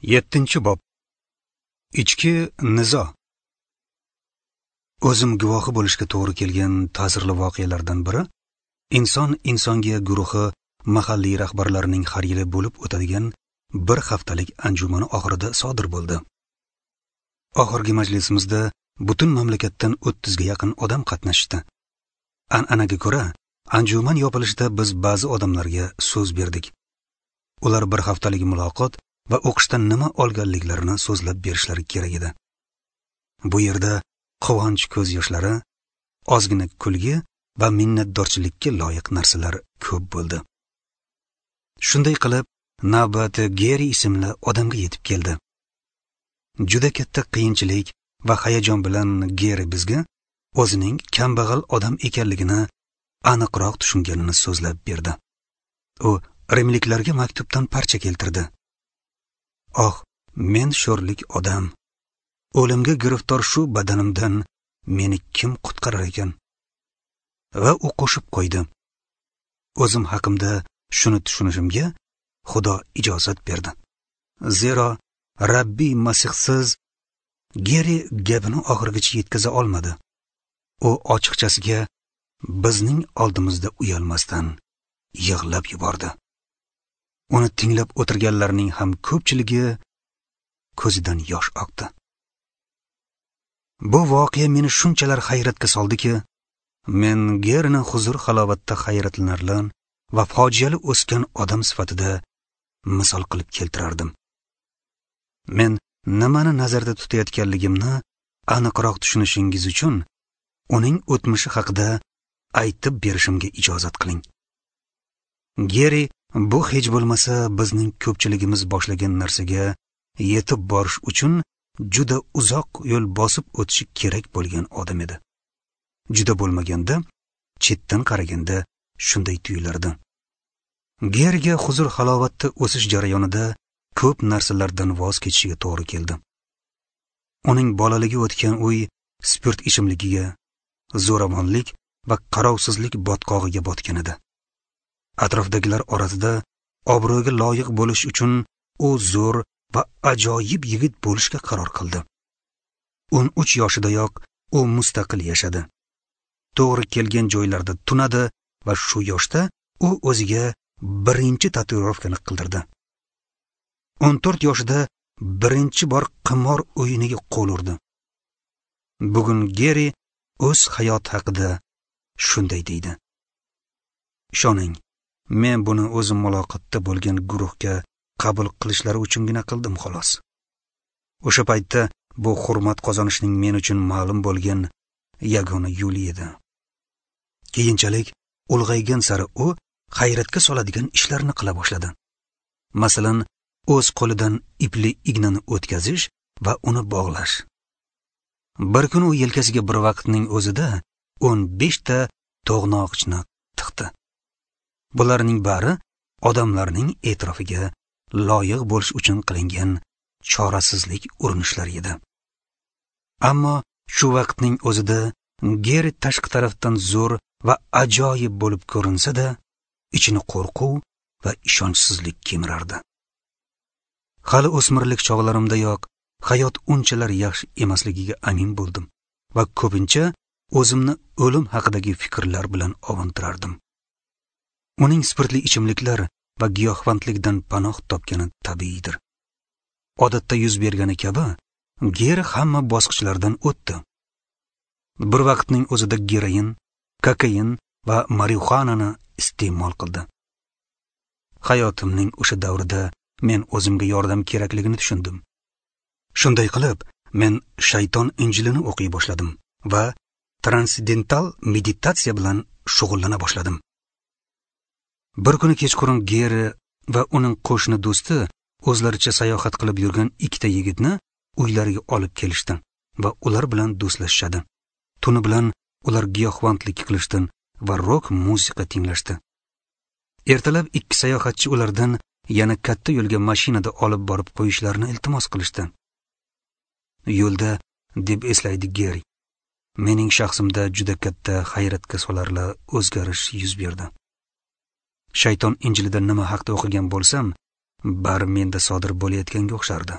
7-bob. Ichki nizo. O'zim guvohi bo'lishga to'g'ri kelgan ta'sirli voqealardan biri inson insonga guruhi mahalliy rahbarlarining har yili bo'lib o'tadigan bir haftalik anjumani oxirida sodir bo'ldi. Oxirgi majlisimizda butun mamlakatdan 30 ga yaqin odam qatnashdi. An'anaga ko'ra, anjuman yopilishida biz ba'zi odamlarga so'z berdik. Ular bir haftalik muloqot va o'qishdan nima olganliklarini so'zlab berishlari kerak edi. Bu yerda quvonch ko'z yoshlari, ozgina kulgi va minnatdorchilikka loyiq narsalar ko'p bo'ldi. Shunday qilib, navbat Geri ismli odamga yetib keldi. Juda katta qiyinchilik va hayajon bilan Geri bizga o'zining kambag'al odam ekanligini aniqroq tushunganini so'zlab berdi. U rimliklarga maktubdan parcha keltirdi. Oh, men sho'rlik odam. O'limga giriftor shu badanimdan meni kim qutqarar ekan? Va u qo'shib qo'ydi. O'zim haqimda shuni tushunishimga Xudo ijozat berdi. Zero Rabbiy Masihsiz. Geri gapini oxirigacha yetkaza olmadi. U ochiqchasiga bizning oldimizda uyalmasdan yig'lab yubordi. Uni tinglab o'tirganlarning ham ko'pchiligi ko'zidan yosh oqdi. Bu voqea meni shunchalar hayratga soldiki, men Gerini huzur halovatda hayratlanarli va fojiali o'sgan odam sifatida misol qilib keltirardim. Men nimani nazarda tutayotganligimni aniqroq tushunishingiz uchun uning o'tmishi haqida aytib berishimga ijozat qiling. Geri bu hech bo'lmasa bizning ko'pchiligimiz boshlagan narsaga yetib borish uchun juda uzoq yo'l bosib o'tishi kerak bo'lgan odam edi. Juda bo'lmaganda, chetdan qaraganda shunday tuyulardi. Geriga huzur halovatda o'sish jarayonida ko'p narsalardan voz kechishiga to'g'ri keldi. Uning bolaligi o'tgan uy spirt ichimligiga, zo'ravonlik va qarovsizlik botqog'iga botgan edi. Atrofdagilar orasida obro'ga loyiq bo'lish uchun u zo'r va ajoyib yigit bo'lishga qaror qildi. 13 yoshidayoq u mustaqil yashadi. To'g'ri kelgan joylarda tunadi va shu yoshda u o'ziga birinchi tatuirovkani qildirdi. 14 yoshida birinchi bor qimor o'yiniga qo'l urdi. Bugun Geri o'z hayoti haqida shunday deydi: Ishoning, men buni o'zim muloqotda bo'lgan guruhga qabul qilishlari uchungina qildim xolos. O'sha paytda bu hurmat qozonishning men uchun ma'lum bo'lgan yagona yo'li edi. Keyinchalik ulg'aygan sari u hayratga soladigan ishlarni qila boshladi. Masalan, o'z qo'lidan ipli ignani o'tkazish va uni bog'lash. Bir kun u yelkasiga bir vaqtning o'zida 15 ta to'g'noqchni tiqdi. Bularning bari odamlarning e'tirofiga loyiq bo'lish uchun qilingan chorasizlik urinishlari edi. Ammo shu vaqtning o'zida Geri tashqi tarafdan zo'r va ajoyib bo'lib ko'rinsa-da, ichini qo'rquv va ishonchsizlik kemirardi. Hali o'smirlik chog'larimdayoq hayot unchalar yaxshi emasligiga amin bo'ldim va ko'pincha o'zimni o'lim haqidagi fikrlar bilan ovuntirardim. Uning spirtli ichimliklar va giyohvandlikdan panoh topgani tabiiydir. Odatda yuz bergani kabi, Geri hamma bosqichlardan o'tdi. Bir vaqtning o'zida geroin, kokain va marixuanani iste'mol qildi. Hayotimning o'sha davrida men o'zimga yordam kerakligini tushundim. Shunday qilib, men shayton injilini o'qiy boshladim va transendental meditatsiya bilan shug'ullana boshladim. Bir kuni kechqurun Geri va uning qo'shni do'sti o'zlaricha sayohat qilib yurgan ikkita yigitni uylariga olib kelishdi va ular bilan do'stlashishadi. Tuni bilan ular giyohvandlik qilishdi va rok musiqa tinglashdi. Ertalab ikki sayohatchi ulardan yana katta yo'lga mashinada olib borib qo'yishlarini iltimos qilishdi. Yo'lda, deb eslaydi Geri, mening shaxsimda juda katta hayratga solarli o'zgarish yuz berdi. Shayton injilida nima haqda o'qigan bo'lsam, bari menda sodir bo'layotganga o'xshardi.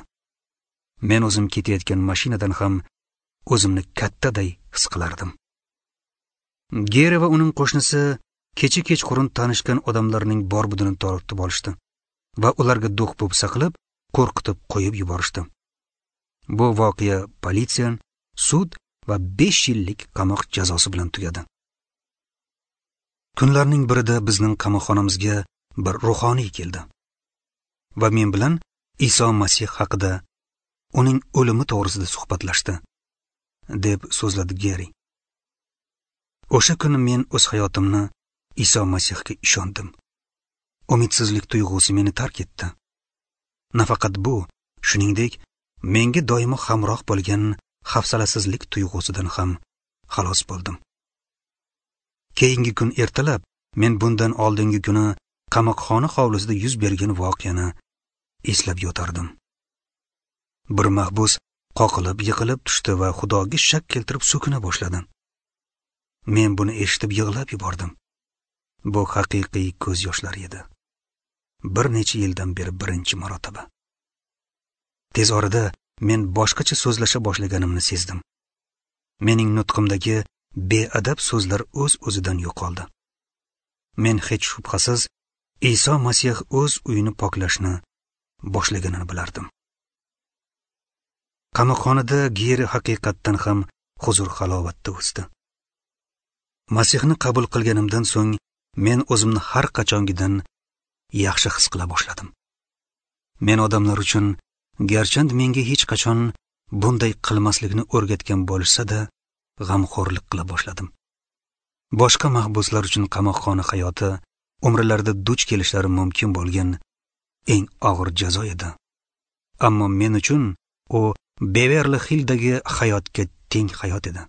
Men o'zim ketayotgan mashinadan ham o'zimni kattaday his qilardim. Geri va uning qo'shnisi kecha kechqurun tanishgan odamlarning bor-budini tortib olishdi va ularga do'q-po'pisa qilib, qo'rqitib qo'yib yuborishdi. Bu voqea politsiya, sud va 5 yillik qamoq jazosi bilan tugadi. Kunlarning birida bizning qamoqxonamizga bir ruhoniy keldi va men bilan Iso Masih haqida, uning o'limi to'g'risida suhbatlashdi, deb so'zladi Geri. O'sha kuni men o'z hayotimni Iso Masihga ishondim. Umidsizlik tuyg'usi meni tark etdi. Nafaqat bu, shuningdek, menga doimo hamroh bo'lgan hafsalasizlik tuyg'usidan ham xalos bo'ldim. Keyingi kun ertalab men bundan oldingi kuni qamoqxona hovlisida yuz bergan voqeani eslab yotardim. Bir mahbus qoqilib yiqilib tushdi va Xudoga shak keltirib so'kina boshladi. Men buni eshitib yig'lab yubordim. Bu haqiqiy ko'z yoshlari edi. Bir necha yildan beri birinchi marotaba. Tez orada men boshqacha so'zlasha boshlaganimni sezdim. Mening nutqimdagi beadab so'zlar o'z-o'zidan yo'qoldi. Men hech shubhasiz Iso Masih o'z uyini poklashni boshlaganini bilardim. Qamoqxonada Geri haqiqatdan ham huzur-halovatda o'sdi. Masihni qabul qilganimdan so'ng men o'zimni har qachongidan yaxshi his qila boshladim. Men odamlar uchun, garchand menga hech qachon bunday qilmaslikni o'rgatgan bo'lishsa-da, g'amxo'rlik qila boshladim. Boshqa mahbuslar uchun qamoqxona hayoti umrlarida duch kelishlari mumkin bo'lgan eng og'ir jazo edi. Ammo men uchun u Beverli Hill'dagi hayotga teng hayot edi.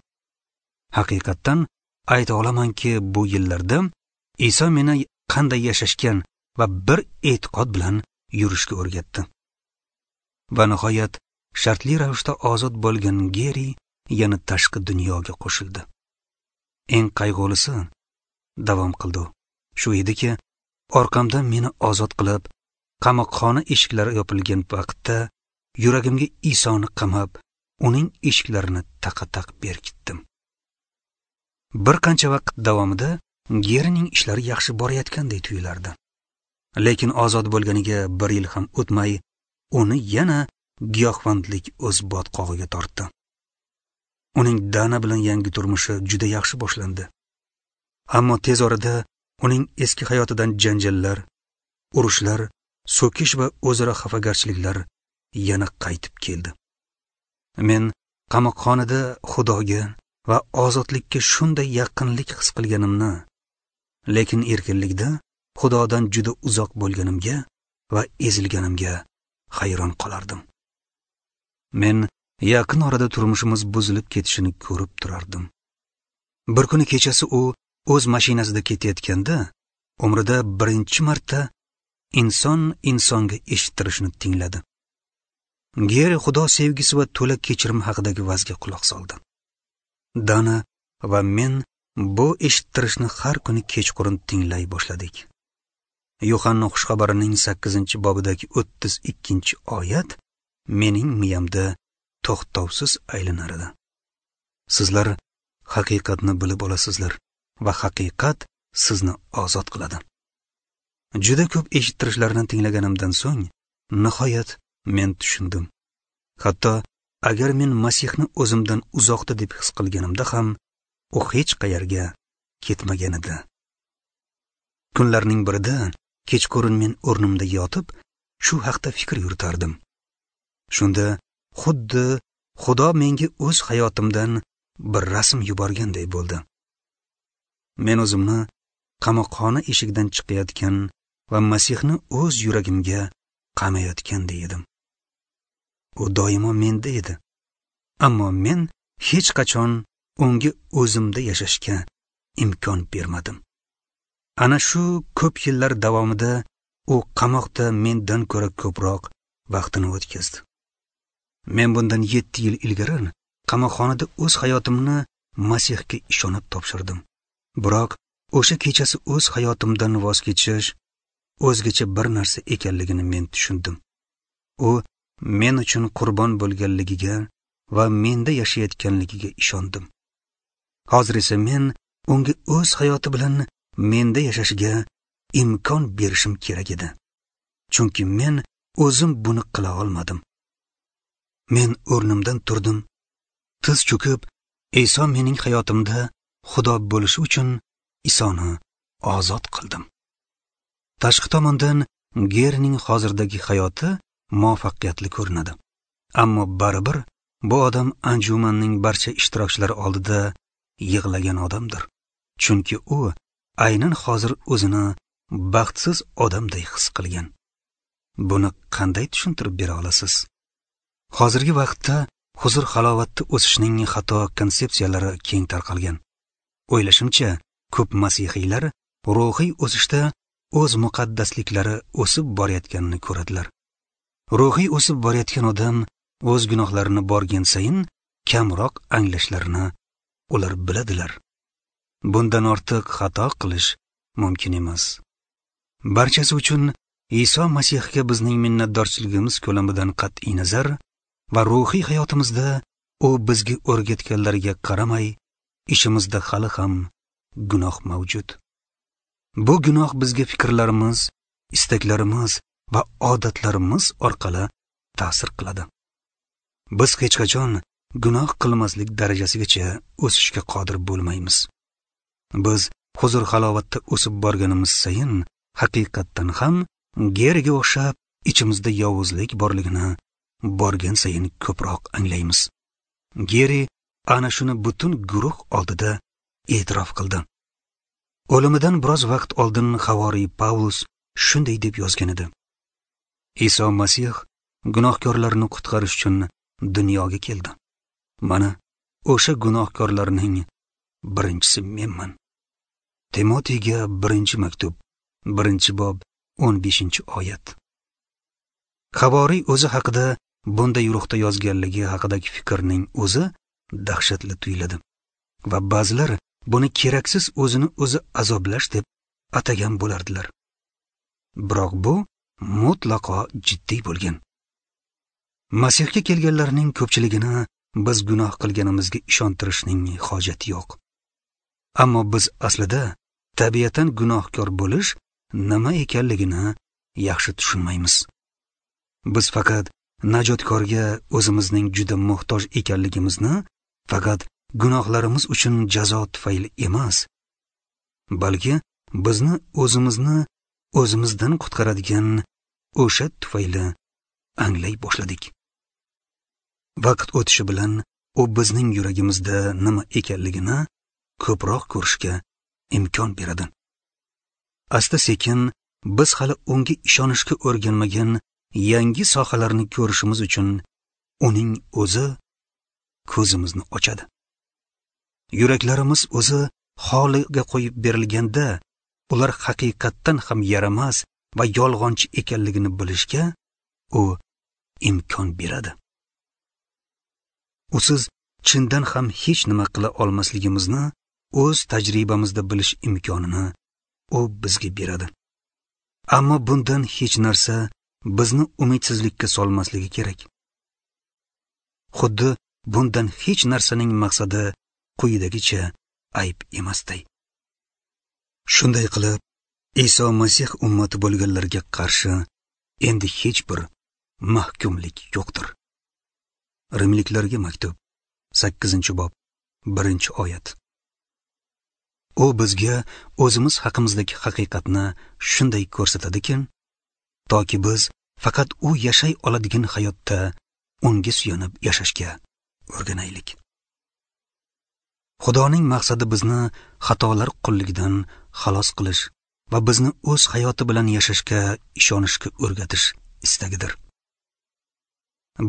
Haqiqatdan ayta olamanki, bu yillarda Iso meni qanday yashashgan va bir e'tiqod bilan yurishga o'rgatdi. Va nihoyat shartli ravishda ozod bo'lgan Geri yana tashqi dunyoga qo'shildi. Eng qayg'ulisi, davom qildi, shu ediki, orqamdan meni ozod qilib, qamoqxona eshiklari yopilgan vaqtda yuragimga Isoni qamab, uning eshiklarini taqa-taq berkitdim. Bir qancha vaqt davomida Gerining ishlari yaxshi borayotganday tuyulardi. Lekin ozod bo'lganiga bir yil ham o'tmay, uni yana giyohvandlik o'z botqog'iga tortdi. Uning Dana bilan yangi turmushi juda yaxshi boshlandi. Ammo tez orada uning eski hayotidan janjallar, urushlar, so'kish va o'zaro xafagarchiliklar yana qaytib keldi. Men qamoqxonada Xudoga va ozodlikka shunday yaqinlik his qilganimni, lekin erkinlikda Xudodan juda uzoq bo'lganimga va ezilganimga hayron qolardim. Men yaqin orada turmushimiz buzilib ketishini ko'rib turardim. Bir kuni kechasi u o'z mashinasida ketayotganda umrida birinchi marta inson insonga eshittirishini tingladi. Geri Xudo sevgisi va to'la kechirim haqidagi vazga quloq soldi. Dana va men bu eshittirishni har kuni kechqurun tinglay boshladik. Yo'hanna xushxabarining 8-bobidagi 32-oyat mening miyamda to'xtovsiz aylanar edi. Sizlar haqiqatni bilib olasizlar va haqiqat sizni ozod qiladi. Juda ko'p eshittirishlarni tinglaganimdan so'ng nihoyat men tushundim. Hatto agar men Masihni o'zimdan uzoqda deb his qilganimda ham, u hech qayerga ketmagan edi. Kunlarning birida kechqurun men o'rnimda yotib, shu haqda fikr yuritardim. Shunda xuddi Xudo menga o'z hayotimdan bir rasm yuborganday bo'ldi. Men o'zimni qamoqxona eshigidan chiqayotgan va Masihni o'z yuragimga qamayotganday edim. U doimo menda edi. Ammo men hech qachon unga o'zimda yashashga imkon bermadim. Ana shu ko'p yillar davomida u qamoqda mendan ko'ra ko'proq vaqtini o'tkazdi. Men bundan 7 yil ilgari qamoqxonada o'z hayotimni Masihga ishonib topshirdim. Biroq o'sha kechasi o'z hayotimdan voz kechish o'zgacha bir narsa ekanligini men tushundim. U men uchun qurbon bo'lganligiga va menda yashayotganligiga ishondim. Hozir esa men unga o'z hayoti bilan menda yashashiga imkon berishim kerak edi. Chunki men o'zim buni qila olmadim. Men o'rnimdan turdim, tiz cho'kib, Iso mening hayotimda Xudo bo'lishi uchun Isoni ozod qildim. Tashqi tomondan Gerining hozirdagi hayoti muvaffaqiyatli ko'rinadi. Ammo baribir bu odam anjumanning barcha ishtirokchilari oldida yig'lagan odamdir. Chunki u aynan hozir o'zini baxtsiz odamday his qilgan. Buni qanday tushuntirib bera olasiz? Hozirgi vaqtda huzur halovatda o'sishning xato konsepsiyalari keng tarqalgan. O'ylashimcha, ko'p masihiylar ruhiy o'sishda o'z muqaddasliklari o'sib borayotganini ko'radilar. Ruhiy o'sib borayotgan odam o'z gunohlarini borgan sayin kamroq anglashlarini ular biladilar. Bundan ortiq xato qilish mumkin emas. Barchasi uchun Iso Masihga bizning minnatdorchiligimiz ko'lamidan qat'iy nazar va ruhiy hayotimizda u bizga o'rgatganlariga qaramay, ishimizda hali ham gunoh mavjud. Bu gunoh bizga fikrlarimiz, istaklarimiz va odatlarimiz orqali ta'sir qiladi. Biz hech qachon gunoh qilmaslik darajasigacha o'sishga qodir bo'lmaymiz. Biz huzur halovatda o'sib borganimiz sayin haqiqatdan ham Geriga o'xshab ichimizda yovuzlik borligini borgan sayin ko'proq anglaymiz. Geri ana shuni butun guruh oldida e'tirof qildi. O'limidan biroz vaqt oldin havoriy Pavlus shunday deb yozgan edi: Iso Masih gunohkorlarni qutqarish uchun dunyoga keldi. Mana o'sha gunohkorlarning birinchisi menman. Timotiyga 1-maktub, 1-bob, 15-oyat. Havoriy o'zi haqida bunday ruhda yozganligi haqidagi fikrning o'zi dahshatli tuyuladi va ba'zilar buni keraksiz o'zini o'zi azoblash deb atagan bo'lardilar. Biroq bu mutlaqo jiddiy bo'lgan. Masihga kelganlarning ko'pchiligini biz gunoh qilganimizga ishontirishning hojati yo'q. Ammo biz aslida tabiatan gunohkor bo'lish nima ekanligini yaxshi tushunmaymiz. Biz faqat najotkorga o'zimizning juda muhtoj ekanligimizni faqat gunohlarimiz uchun jazo tufayli emas, balki bizni o'zimizni o'zimizdan qutqaradigan o'sha tufayli anglay boshladik. Vaqt o'tishi bilan u bizning yuragimizda nima ekanligini ko'proq ko'rishga imkon beradi. Asta-sekin biz hali unga ishonishga o'rganmagan yangi sohalarni ko'rishimiz uchun uning o'zi ko'zimizni ochadi. Yuraklarimiz o'zi holiga qo'yib berilganda ular haqiqatdan ham yaramas va yolg'onchi ekanligini bilishga u imkon beradi. Usiz chindan ham hech nima qila olmasligimizni o'z tajribamizda bilish imkonini u bizga beradi. Ammo bundan hech narsa bizni umidsizlikka solmasligi kerak. Xuddi bundan hech narsaning maqsadi quyidagicha ayb emasday. Shunday qilib, Iso Masih ummati bo'lganlarga qarshi endi hech bir mahkumlik yo'qdir. Rimliklarga maktub, 8-bob, 1-oyat. U bizga o'zimiz haqimizdagi haqiqatni shunday ko'rsatadiki, toki biz faqat u yashay oladigan hayotda unga suyanib yashashga o'rganaylik. Xudoning maqsadi bizni xatolar qulligidan xalos qilish va bizni o'z hayoti bilan yashashga ishonishga o'rgatish istagidir.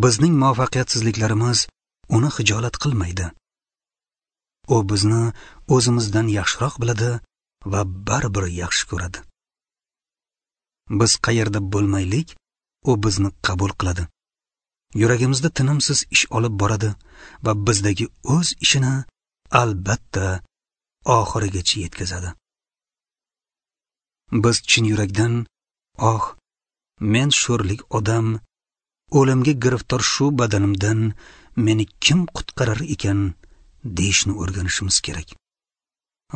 Bizning muvaffaqiyatsizliklarimiz uni xijolat qilmaydi. U bizni o'zimizdan yaxshiroq biladi va baribir yaxshi ko'radi. Biz qayerda bo'lmaylik, u bizni qabul qiladi. Yuragimizda tinimsiz ish olib boradi va bizdagi o'z ishini albatta oxirigacha yetkazadi. Biz chin yurakdan Oh, men sho'rlik odam, o'limga giriftor shu badanimdan meni kim qutqarar ekan deyishni o'rganishimiz kerak.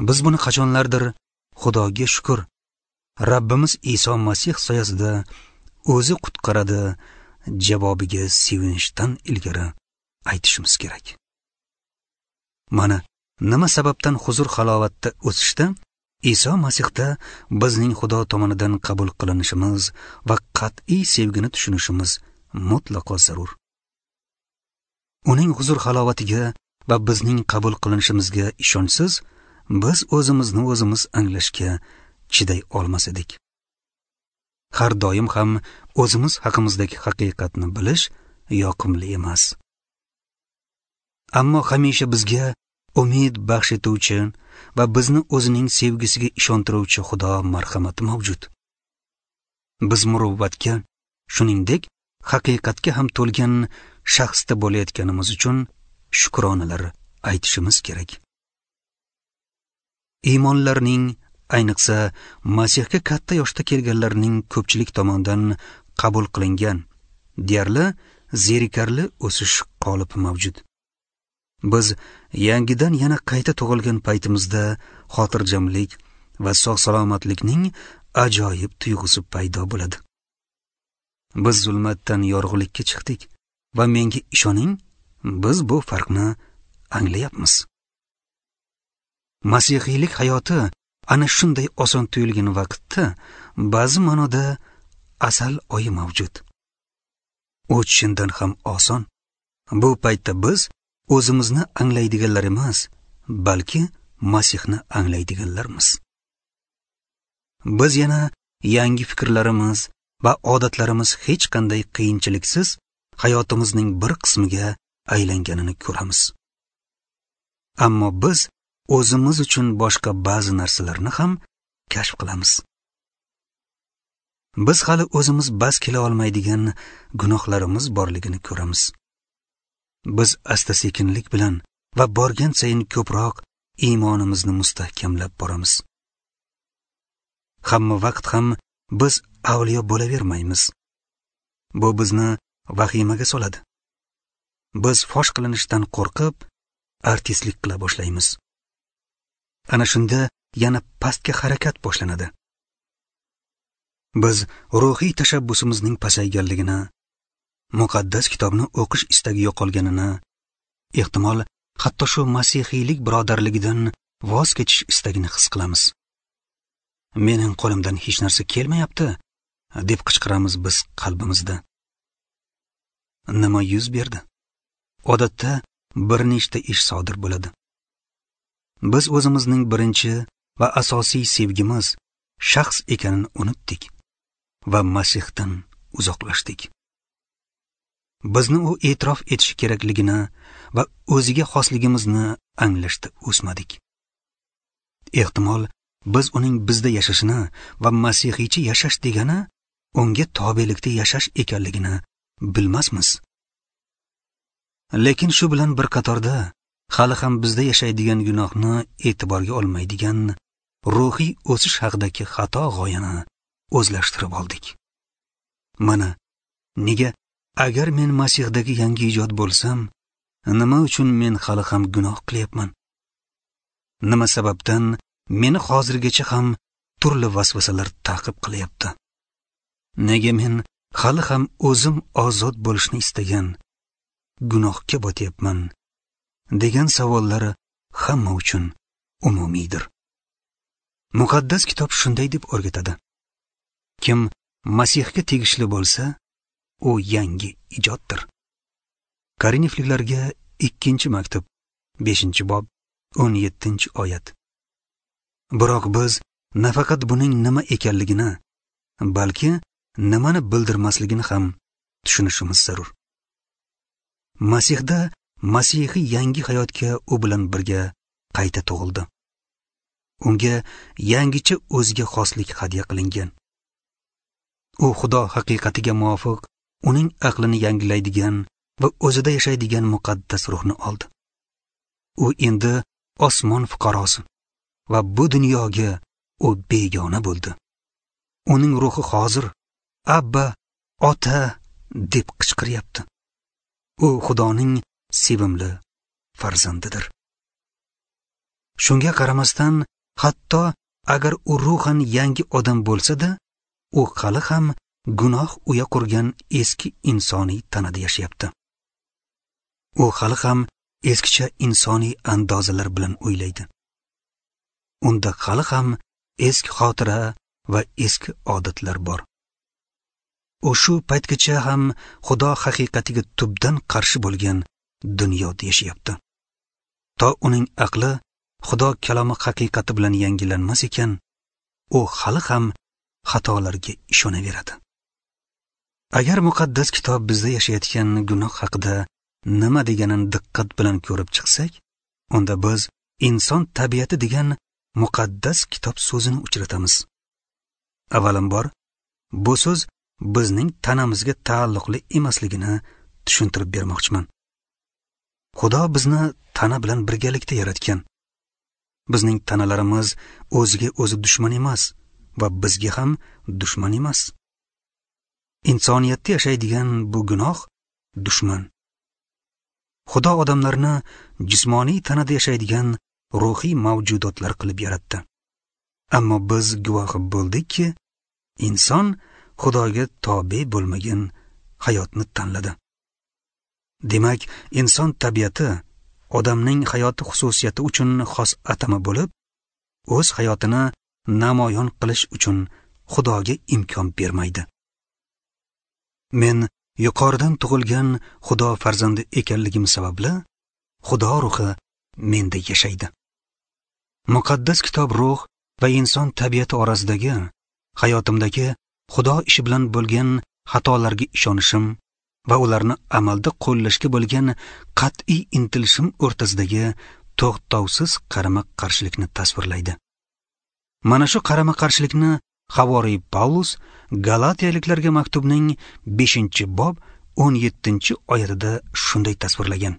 Biz buni qachonlardir, Xudoga shukr, Rabbimiz Iso Masih soyasida o'zi qutqaradi javobiga sevinchdan ilgari aytishimiz kerak. Mana nima sababdan huzur halovatda o'sishda Iso Masihda bizning Xudo tomonidan qabul qilinishimiz va qat'iy sevgini tushunishimiz mutlaqo zarur. Uning huzur halovatiga va bizning qabul qilinishimizga ishonchsiz biz o'zimizni o'zimiz anglashga chiday olmas edik. Har doim ham o'zimiz haqimizdagi haqiqatni bilish yoqimli emas. Ammo hamisha bizga umid baxsh etuvchi va bizni o'zining sevgisiga ishontiruvchi Xudo marhamati mavjud. Biz muruvvatga, shuningdek, haqiqatga ham to'lgan shaxsda bo'layotganimiz uchun shukronalar aytishimiz kerak. Iymonlarning, ayniqsa Masihga katta yoshda kelganlarning ko'pchilik tomonidan qabul qilingan deyarli zerikarli o'sish qolipi mavjud. Biz yangidan yana qayta tug'ilgan paytimizda xotirjamlik va sog' salomatlikning ajoyib tuyg'usi paydo bo'ladi. Biz zulmatdan yorug'likka chiqdik va menga ishoning, biz bu farqni anglayapmiz. Masihiylik hayoti ana shunday oson tuyulgan vaqtda ba'zi ma'noda asal oyi mavjud. U chindan ham oson. Bu paytda biz o'zimizni anglaydiganlar emas, balki Masihni anglaydiganlarmiz. Biz yana yangi fikrlarimiz va odatlarimiz hech qanday qiyinchiliksiz hayotimizning bir qismiga aylanganini ko'ramiz. Ammo biz o'zimiz uchun boshqa ba'zi narsalarni ham kashf qilamiz. Biz hali o'zimiz bas kela olmaydigan gunohlarimiz borligini ko'ramiz. Biz asta-sekinlik bilan va borgan sayin ko'proq iymonimizni mustahkamlab boramiz. Hamma vaqt ham biz avliyo bo'lavermaymiz. Bu bizni vahimaga soladi. Biz fosh qilinishdan qo'rqib, artistlik qila boshlaymiz. Ana shunda yana pastga harakat boshlanadi. Biz ruhiy tashabbusimizning pasayganligini, muqaddas kitobni o'qish istagi yo'qolganini, ehtimol hatto shu masihiylik birodarligidan voz kechish istagini his qilamiz. Mening qo'limdan hech narsa kelmayapti, deb qichqiramiz biz qalbimizda. Nima yuz berdi? Odatda bir nechta ish sodir bo'ladi. Biz o'zimizning birinchi va asosiy sevgimiz shaxs ekanini unutdik va Masihdan uzoqlashdik. Bizni u e'tirof etishi kerakligini va o'ziga xosligimizni anglashda o'smadik. Ehtimol biz uning bizda yashashini va masihiycha yashash degani unga tobelikda yashash ekanligini bilmasmiz. Lekin shu bilan bir qatorda hali ham bizda yashaydigan gunohni e'tiborga olmaydigan ruhiy o'sish haqidagi xato g'oyani o'zlashtirib oldik. Mana nega agar men Masihdagi yangi ijod bo'lsam, nima uchun men hali ham gunoh qilyapman? Nima sababdan meni hozirgacha ham turli vasvasalar ta'qib qilyapti? Nega men hali ham o'zim ozod bo'lishni istagan gunohga botyapman degan savollar hamma uchun umumiydir. Muqaddas kitob shunday deb o'rgatadi: kim Masihga tegishli bo'lsa, u yangi ijoddir. Korinfliklarga 2-maktub, 5-bob, 17-oyat. Biroq biz nafaqat buning nima ekanligini, balki nimani bildirmasligini ham tushunishimiz zarur. Masihda masihiy yangi hayotga u bilan birga qayta tug'ildi. Unga yangicha o'ziga xoslik hadya qilingan. U Xudo haqiqatiga muvofiq uning aqlini yangilaydigan va o'zida yashaydigan muqaddas ruhni oldi. U endi osmon fuqarosi va bu dunyoga u begona bo'ldi. Uning ruhi hozir Abba, Ota deb qichqiryapti. U Xudoning sevimli farzandidir. Shunga qaramasdan, hatto agar u ruhan yangi odam bo'lsa-da, u hali ham gunoh uya qurgan eski insoniy tanada yashayapti. U hali ham eskicha insoniy andozalar bilan o'ylaydi. Unda hali ham eski xotira va eski odatlar bor. U shu paytgacha ham Xudo haqiqatiga tubdan qarshi bo'lgan dunyoda yashayapti. To uning aqli Xudo kalomi haqiqati bilan yangilanmas ekan, u hali ham xatolarga ishonaveradi. Agar muqaddas kitob bizda yashayotgan gunoh haqida nima deganini diqqat bilan ko'rib chiqsak, unda biz inson tabiati degan muqaddas kitob so'zini uchratamiz. Avvalambor, bu so'z bizning tanamizga taalluqli emasligini tushuntirib bermoqchiman. Xudo bizni tana bilan birgalikda yaratgan. Bizning tanalarimiz o'ziga o'zi dushman emas va bizga ham dushman emas. Insoniyatda yashaydigan bu gunoh dushman. Xudo odamlarni jismoniy tanada yashaydigan ruhiy mavjudotlar qilib yaratdi. Ammo biz guvohi bo'ldikki, inson Xudoga tobe bo'lmagan hayotni tanladi. Demak, inson tabiati odamning hayoti xususiyati uchun xos atama bo'lib, o'z hayotini namoyon qilish uchun Xudoga imkon bermaydi. Men yuqoridan tug'ilgan Xudo farzandi ekanligim sababli Xudo ruhi menda yashaydi. Muqaddas kitob ruh va inson tabiati orasidagi hayotimdagi Xudo ishi bilan bo'lgan xatolarga ishonishim va ularni amalda qo'llashga bo'lgan qat'iy intilishim o'rtasidagi to'xtovsiz qarama-qarshilikni tasvirlaydi. Mana shu qarama-qarshilikni Havoriy Pavlus Galatiyaliklarga maktubning 5-bob 17-oyatida shunday tasvirlagan.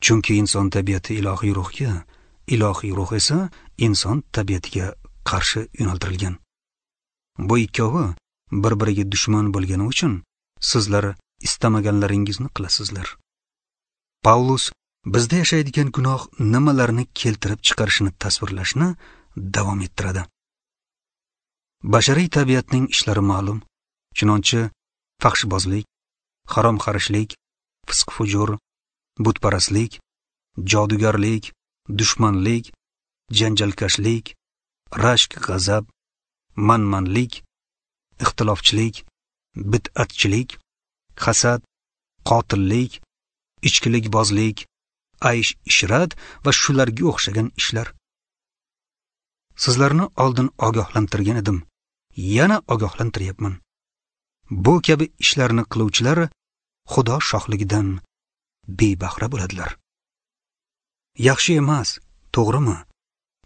Chunki inson tabiati ilohiy ruhga, ilohiy ruh esa inson tabiatiga qarshi yo'naltirilgan. Bu ikkovi bir-biriga dushman bo'lgani uchun sizlar istamaganlaringizni qilasizlar. Pavlus bizda yashaydigan gunoh nimalarni keltirib chiqarishini tasvirlashni davom ettiradi. Bashariy tabiatning ishlari ma'lum. Chunonchi fahshbozlik, haromxarishlik, fisq-fujur, butparastlik, jodugarlik, dushmanlik, janjalkashlik, rashk, g'azab, manmanlik, ixtilofchilik, bid'atchilik, hasad, qotillik, ichkilikbozlik, aysh-ishrat va shularga o'xshagan ishlar. Sizlarni oldin ogohlantirgan edim, yana ogohlantiryapman. Bu kabi ishlarni qiluvchilar Xudo shohligidan bebahra bo'ladilar. Yaxshi emas, to'g'rimi?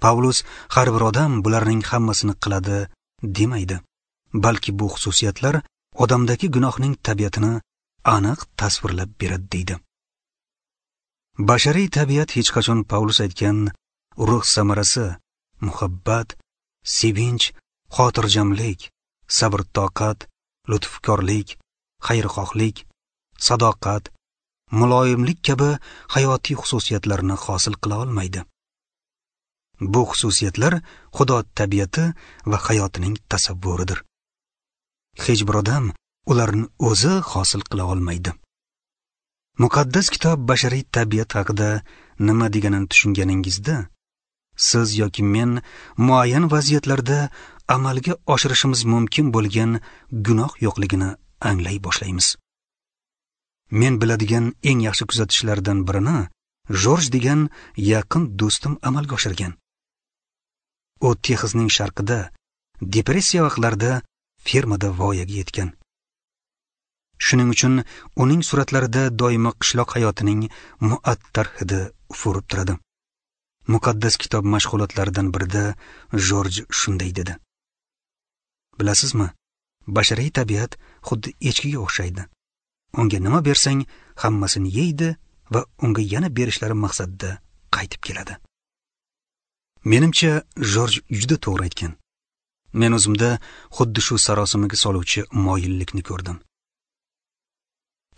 Pavlus har bir odam bularning hammasini qiladi demaydi, balki bu xususiyatlar odamdagi gunohning tabiatini aniq tasvirlab beradi deydi. Bashariy tabiat hech qachon Pavlus aytgan ruh samarasi muhabbat, sevinch, xotirjamlik, sabr-toqat, lutfkorlik, xayrixohlik, sadoqat, muloyimlik kabi hayotiy xususiyatlarni hosil qila olmaydi. Bu xususiyatlar Xudo tabiati va hayotining tasavvuridir. Hech bir odam ularni o'zi hosil qila olmaydi. Muqaddas kitob bashariy tabiat haqida nima deganini tushunganingizda, siz yoki men muayyan vaziyatlarda amalga oshirishimiz mumkin bo'lgan gunoh yo'qligini anglay boshlaymiz. Men biladigan eng yaxshi kuzatishlardan birini Jorj degan yaqin do'stim amalga oshirgan. U Texasning sharqida depressiya vaqtlarida fermada voyaga yetgan. Shuning uchun uning suratlarida doimo qishloq hayotining muattar hidi ufurib turadi. Muqaddas kitob mashg'ulotlaridan birida Jorj shunday dedi: Bilasizmi, bashariy tabiat xuddi echkiga o'xshaydi. Unga nima bersang, hammasini yeydi va unga yana berishlari maqsadida qaytib keladi. Menimcha, Jorj juda to'g'ri aytgan. Men o'zimda xuddi shu sarosimaga soluvchi moyillikni ko'rdim.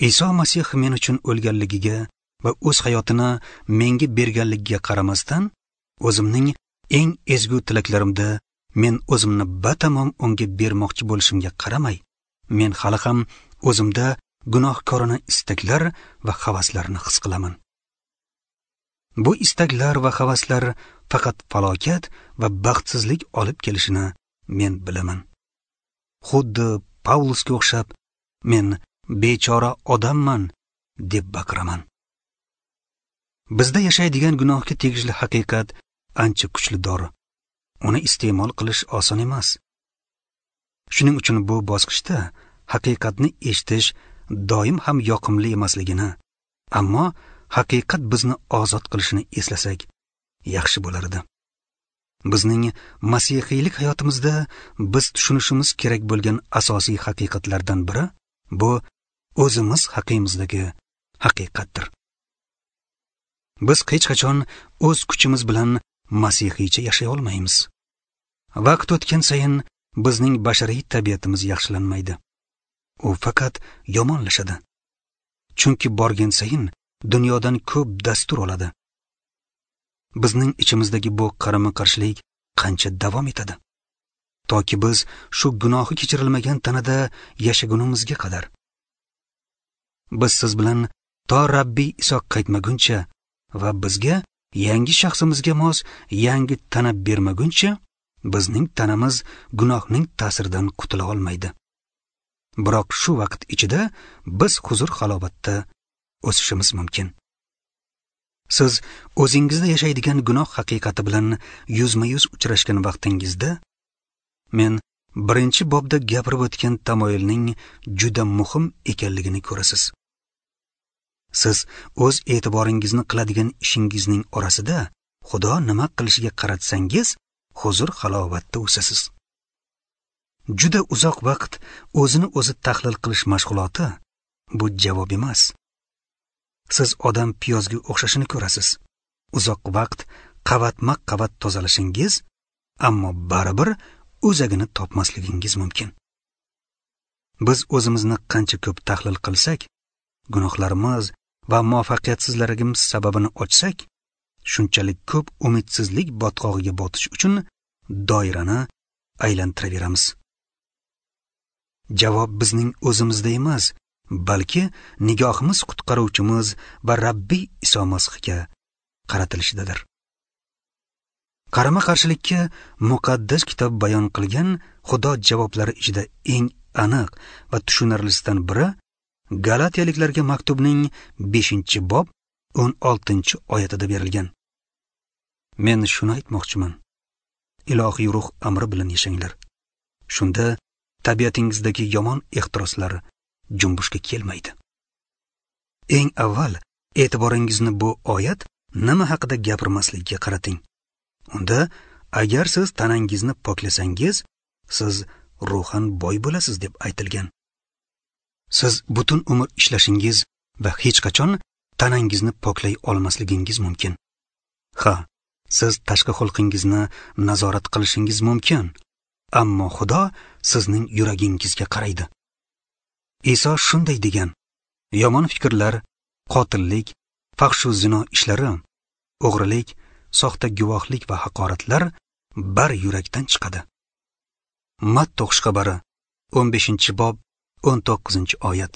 Iso Masih men uchun o'lganligiga va o'z hayotini menga berganligiga qaramasdan, o'zimning eng ezgu tilaklarimda men o'zimni batamom unga bermoqchi bo'lishimga qaramay, men hali ham o'zimda gunohkorona istaklar va havaslarni his qilaman. Bu istaklar va havaslar faqat falokat va baxtsizlik olib kelishini men bilaman. Xuddi Pavlusga o'xshab, men bechora odamman deb baqiraman. Bizda yashaydigan gunohga tegishli haqiqat ancha kuchli dori. Uni iste'mol qilish oson emas. Shuning uchun bu bosqichda haqiqatni eshitish doim ham yoqimli emasligini, ammo haqiqat bizni ozod qilishini eslasak yaxshi bo'lar edi. Bizning masihiylik hayotimizda biz tushunishimiz kerak bo'lgan asosiy haqiqatlardan biri bu o'zimiz haqimizdagi haqiqatdir. Biz hech qachon o'z kuchimiz bilan masihiycha yashay olmaymiz. Vaqt o'tgan sayin bizning bashariy tabiatimiz yaxshilanmaydi. U faqat yomonlashadi. Chunki borgan sayin dunyodan ko'p dastur oladi. Bizning ichimizdagi bu qarama-qarshilik qancha davom etadi? Toki biz shu gunohi kechirilmagan tanada yashagunimizga qadar. Biz siz bilan to Rabbiy Iso qaytmaguncha va bizga yangi shaxsimizga mos yangi tana bermaguncha bizning tanamiz gunohning ta'siridan qutula olmaydi. Biroq shu vaqt ichida biz huzur halovatda o'sishimiz mumkin. Siz o'zingizda yashaydigan gunoh haqiqati bilan yuzma-yuz uchrashgan vaqtingizda men birinchi bobda gapirib o'tgan tamoyilning juda muhim ekanligini ko'rasiz. Siz o'z e'tiboringizni qiladigan ishingizning orasida Xudo nima qilishiga qaratsangiz, huzur halovatda o'sasiz. Juda uzoq vaqt o'zini o'zi tahlil qilish mashg'uloti bu javob emas. Siz odam piyozga o'xshashini ko'rasiz. Uzoq vaqt qavatma-qavat tozalashingiz, ammo baribir o'zagini topmasligingiz mumkin. Biz o'zimizni qancha ko'p tahlil qilsak, gunohlarimiz va muvaffaqiyatsizligimiz sababini ochsak, shunchalik ko'p umidsizlik botqog'iga botish uchun doirani aylantiraveramiz. Javob bizning o'zimizda emas, balki nigohimiz qutqaruvchimiz va Rabbiy Iso Masihga qaratilishidadir. Qarama-qarshilikka muqaddas kitob bayon qilgan Xudo javoblari ichida eng aniq va tushunarlisidan biri Galatiyaliklarga maktubning 5-bob 16-oyatida berilgan. Men shuni aytmoqchiman. Ilohiy ruh amri bilan yashanglar. Shunda tabiatingizdagi yomon ehtiroslar junbushga kelmaydi. Eng avval e'tiboringizni bu oyat nima haqida gapirmasligiga qarating. Unda agar siz tanangizni poklasangiz, siz ruhan boy bo'lasiz deb aytilgan. Siz butun umr ishlashingiz va hech qachon tanangizni poklay olmasligingiz mumkin. Ha, siz tashqi xulqingizni nazorat qilishingiz mumkin, ammo Xudo sizning yuragingizga qaraydi. Iso shunday degan: yomon fikrlar, qotillik, fahshu zino ishlari, o'g'rilik, soxta guvohlik va haqoratlar bar yurakdan chiqadi. Matta xushxabari 15-bob 19-oyat.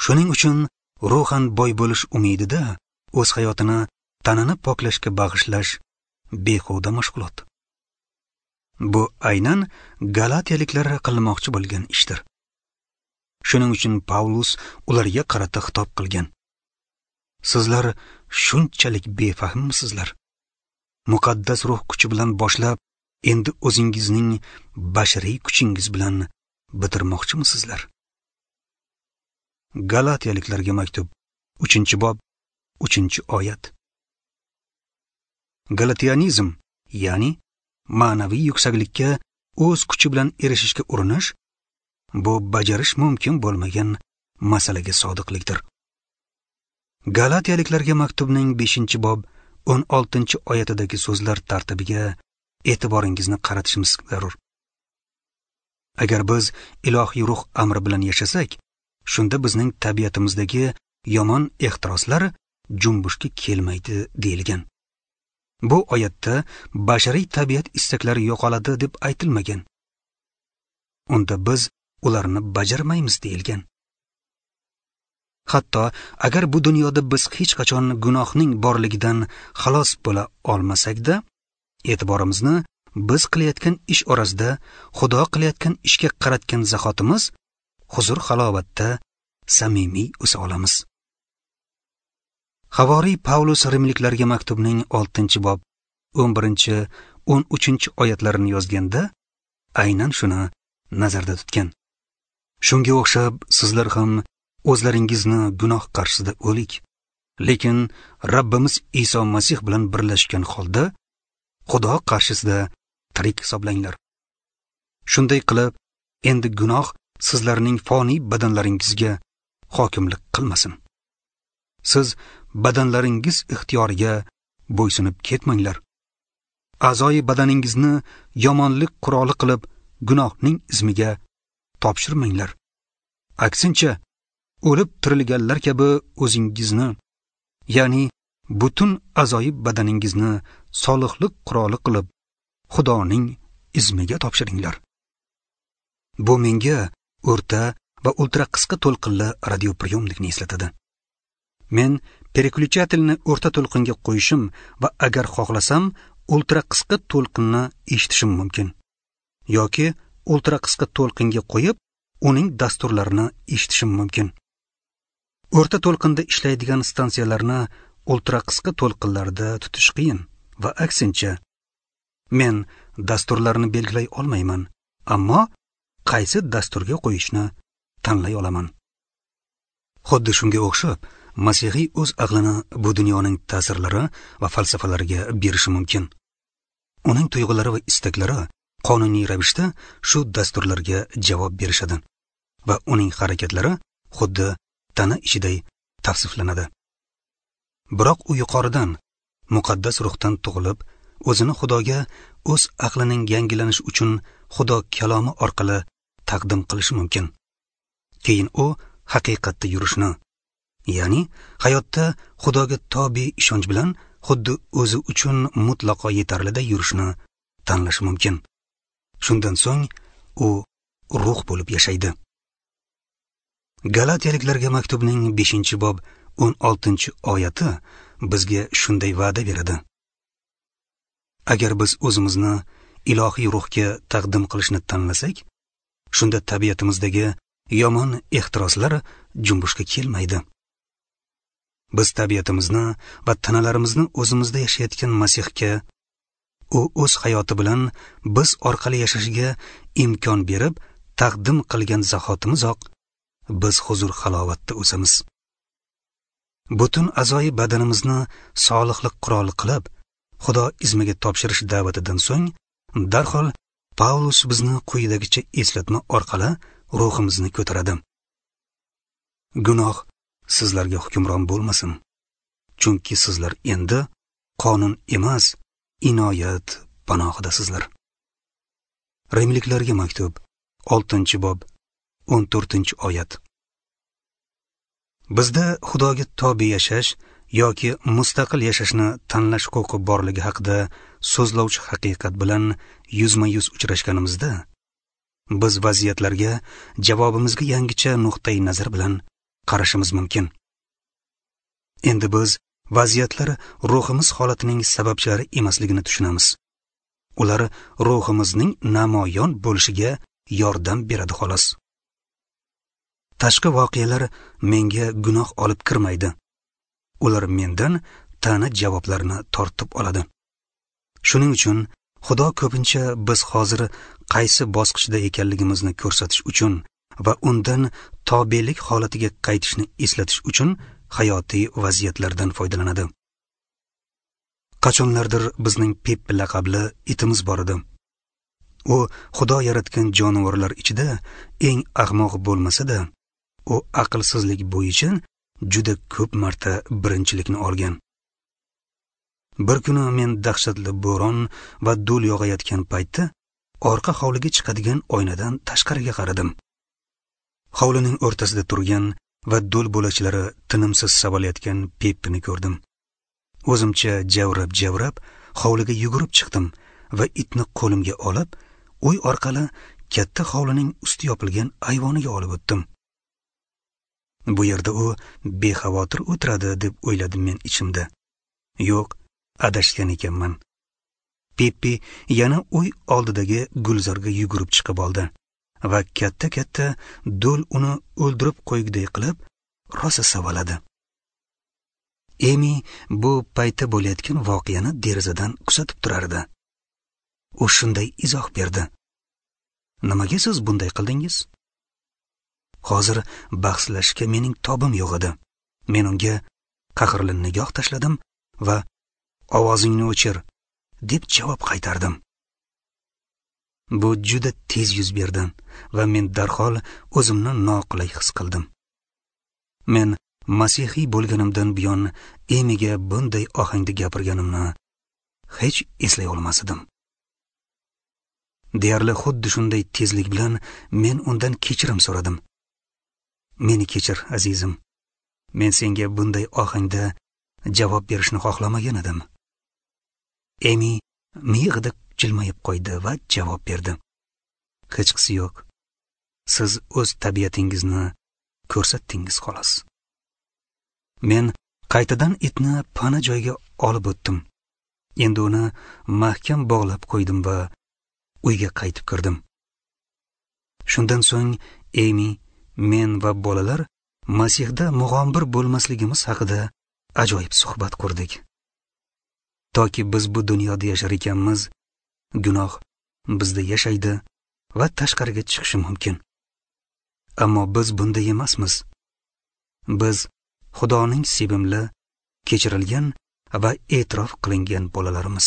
Shuning uchun ruhan boy bo'lish umidida o'z hayotini tanani poklashga bag'ishlash behuda mashg'ulot. Bu aynan Galatiyaliklar qilmoqchi bo'lgan ishdir. Shuning uchun Pavlus ularga qarata xitob qilgan. Sizlar shunchalik befahmmisizlar? Muqaddas ruh kuchi bilan boshlab, endi o'zingizning bashariy kuchingiz bilan bitirmoqchimisizlar? Galatiyaliklarga maktub 3-bob 3-oyat. Galatianizm, ya'ni ma'naviy yuksaklikka o'z kuchi bilan erishishga urinish, bu bajarish mumkin bo'lmagan masalaga sodiqlikdir. Galatiyaliklarga maktubning 5-bob 16-oyatidagi so'zlar tartibiga e'tiboringizni qaratishimiz zarur. Agar biz ilohiy ruh amri bilan yashasak, shunda bizning tabiatimizdagi yomon ehtiroslar junbushga kelmaydi deyilgan. Bu oyatda bashariy tabiat istaklari yo'qoladi deb aytilmagan. Unda biz ularni bajarmaymiz deyilgan. Hatto agar bu dunyoda biz hech qachon gunohning borligidan xalos bo'la olmasak-da, e'tiborimizni biz qilayotgan ish orasida Xudo qilayotgan ishga qaratgan zahotimiz huzur halovatda samimiy o'sa olamiz. Havoriy Pavlus Rimliklarga maktubning 6-bob 11-13 oyatlarini yozganda aynan shuni nazarda tutgan. Shunga o'xshab sizlar ham o'zlaringizni gunoh qarshisida o'lik, lekin Rabbimiz Iso Masih bilan birlashgan holda Xudo qarshisida tirik hisoblanglar. Shunday qilib, endi gunoh sizlarning foniy badanlaringizga hokimlik qilmasin. Siz badanlaringiz ixtiyoriga bo'ysunib ketmanglar. A'zoyi badaningizni yomonlik quroli qilib gunohning izmiga topshirmanglar. Aksincha, o'lib tirilganlar kabi o'zingizni, ya'ni butun a'zoyi badaningizni solihlik quroli qilib Xudoning izmiga topshiringlar. Bu menga o'rta va ultra qisqa to'lqinli radiopriyomnikni eslatadi. Men переключательni o'rta to'lqinga qo'yishim va agar xohlasam ultra qisqa to'lqinni eshitishim mumkin. Yoki ultra qisqa to'lqinga qo'yib, uning dasturlarini eshitishim mumkin. O'rta to'lqinda ishlaydigan stansiyalarni ultra qisqa to'lqinlarda tutish qiyin va aksincha. Men dasturlarni belgilay olmayman, ammo qaysi dasturga qo'yishni tanlay olaman. Xuddi shunga o'xshab, masihiy o'z aqlini bu dunyoning ta'sirlari va falsafalariga berishi mumkin. Uning tuyg'ulari va istaklari qonuniy ravishda shu dasturlarga javob berishadi va uning harakatlari xuddi tana ishiday tavsiflanadi. Biroq u yuqoridan, muqaddas ruhdan tug'ilib, o'zini Xudoga o'z aqlining yangilanishi uchun Xudo kalomi orqali taqdim qilishi mumkin. Keyin u haqiqatda yurishni, ya'ni hayotda Xudoga tobe ishonch bilan xuddi o'zi uchun mutlaqo yetarliday yurishni tanlashi mumkin. Shundan so'ng u ruh bo'lib yashaydi. Galatiyaliklarga maktubning 5-bob 16-oyati bizga shunday va'da beradi. Agar biz o'zimizni ilohiy ruhga taqdim qilishni tanlasak, shunda tabiatimizdagi yomon ehtiroslar junbushga kelmaydi. Biz tabiatimizni va tanalarimizni o'zimizda yashayotgan Masihga, u o'z hayoti bilan biz orqali yashashiga imkon berib taqdim qilgan zahotimizoq biz huzur halovatda o'samiz. Butun a'zoyi badanimizni solihlik quroli qilib Xudo izmiga topshirish da'vatidan so'ng darhol Pavlus bizni quyidagicha eslatma orqali ruhimizni ko'taradi. Gunoh sizlarga hukmron bo'lmasin, chunki sizlar endi qonun emas, inoyat panohidasizlar. Rimliklarga maktub 6-bob 14-oyat. Bizda Xudoga tobe yashash yoki mustaqil yashashni tanlash huquqi borligi haqida so'zlovchi haqiqat bilan yuzma-yuz uchrashganimizda, biz vaziyatlarga javobimizga yangicha nuqtai nazar bilan qarashimiz mumkin. Endi biz vaziyatlar ruhimiz holatining sababchilari emasligini tushunamiz. Ular ruhimizning namoyon bo'lishiga yordam beradi xolos. Tashqi voqealar menga gunoh olib kirmaydi. Ular mendan ta'na javoblarni tortib oladi. Shuning uchun Xudo ko'pincha biz hozir qaysi bosqichda ekanligimizni ko'rsatish uchun va undan tobelik holatiga qaytishni eslatish uchun hayotiy vaziyatlardan foydalanadi. Qachonlardir bizning Pep laqabli itimiz bor edi. U Xudo yaratgan jonivorlar ichida eng ahmoq bo'lmasa-da, u aqlsizlik bo'yicha juda ko'p marta birinchilikni olgan. Bir kuni men dahshatli bo'ron va do'l yog'ayotgan paytda orqa hovliga chiqadigan oynadan tashqariga qaradim. Hovlining o'rtasida turgan va do'l bo'lakchalari tinimsiz savalayotgan Peppini ko'rdim. O'zimcha javrab-javrab hovliga yugurib chiqdim va itni qo'limga olib, uy orqali katta hovlining usti yopilgan ayvoniga olib o'tdim. Bu yerda u bexavotir o'tiradi deb o'yladim men ichimda. Yo'q, adashgan ekanman. Peppi yana uy oldidagi gulzorga yugurib chiqib oldi va katta-katta do'l uni o'ldirib qo'yguday qilib rosa savaladi. Emi bu paytda bo'layotgan voqeani derazadan kuzatib turardi. U shunday izoh berdi: "Nimaga siz bunday qildingiz?" Hozir bahslashga mening tobim yo'q edi. Men unga qahrli nigoh tashladim va "Ovozingni o'chir" deb javob qaytardim. Bu juda tez yuz berdi va men darhol o'zimni noqulay his qildim. Men masihiy bo'lganimdan buyon Emiga bunday ohangda gapirganimni hech eslay olmas edim. Deyarli xuddi shunday tezlik bilan men undan kechirim so'radim. Meni kechir, azizim. Men senga bunday ohangda javob berishni xohlamagan edim. Emi miyig'ida jilmayib qo'ydi va javob berdi: "Hechqisi yo'q. Siz o'z tabiatingizni ko'rsatdingiz xolos." Men qaytadan itni pana joyga olib o'tdim. Endi uni mahkam bog'lab qo'ydim va uyga qaytib kirdim. Shundan so'ng Emi, men va bolalar Masihda mug'ombir bo'lmasligimiz haqida ajoyib suhbat qurdik. Toki biz bu dunyoda yashar ekanmiz, gunoh bizda yashaydi va tashqariga chiqishi mumkin. Ammo biz bunday emasmiz. Biz Xudoning sevimli, kechirilgan va e'tirof qilingan bolalarimiz.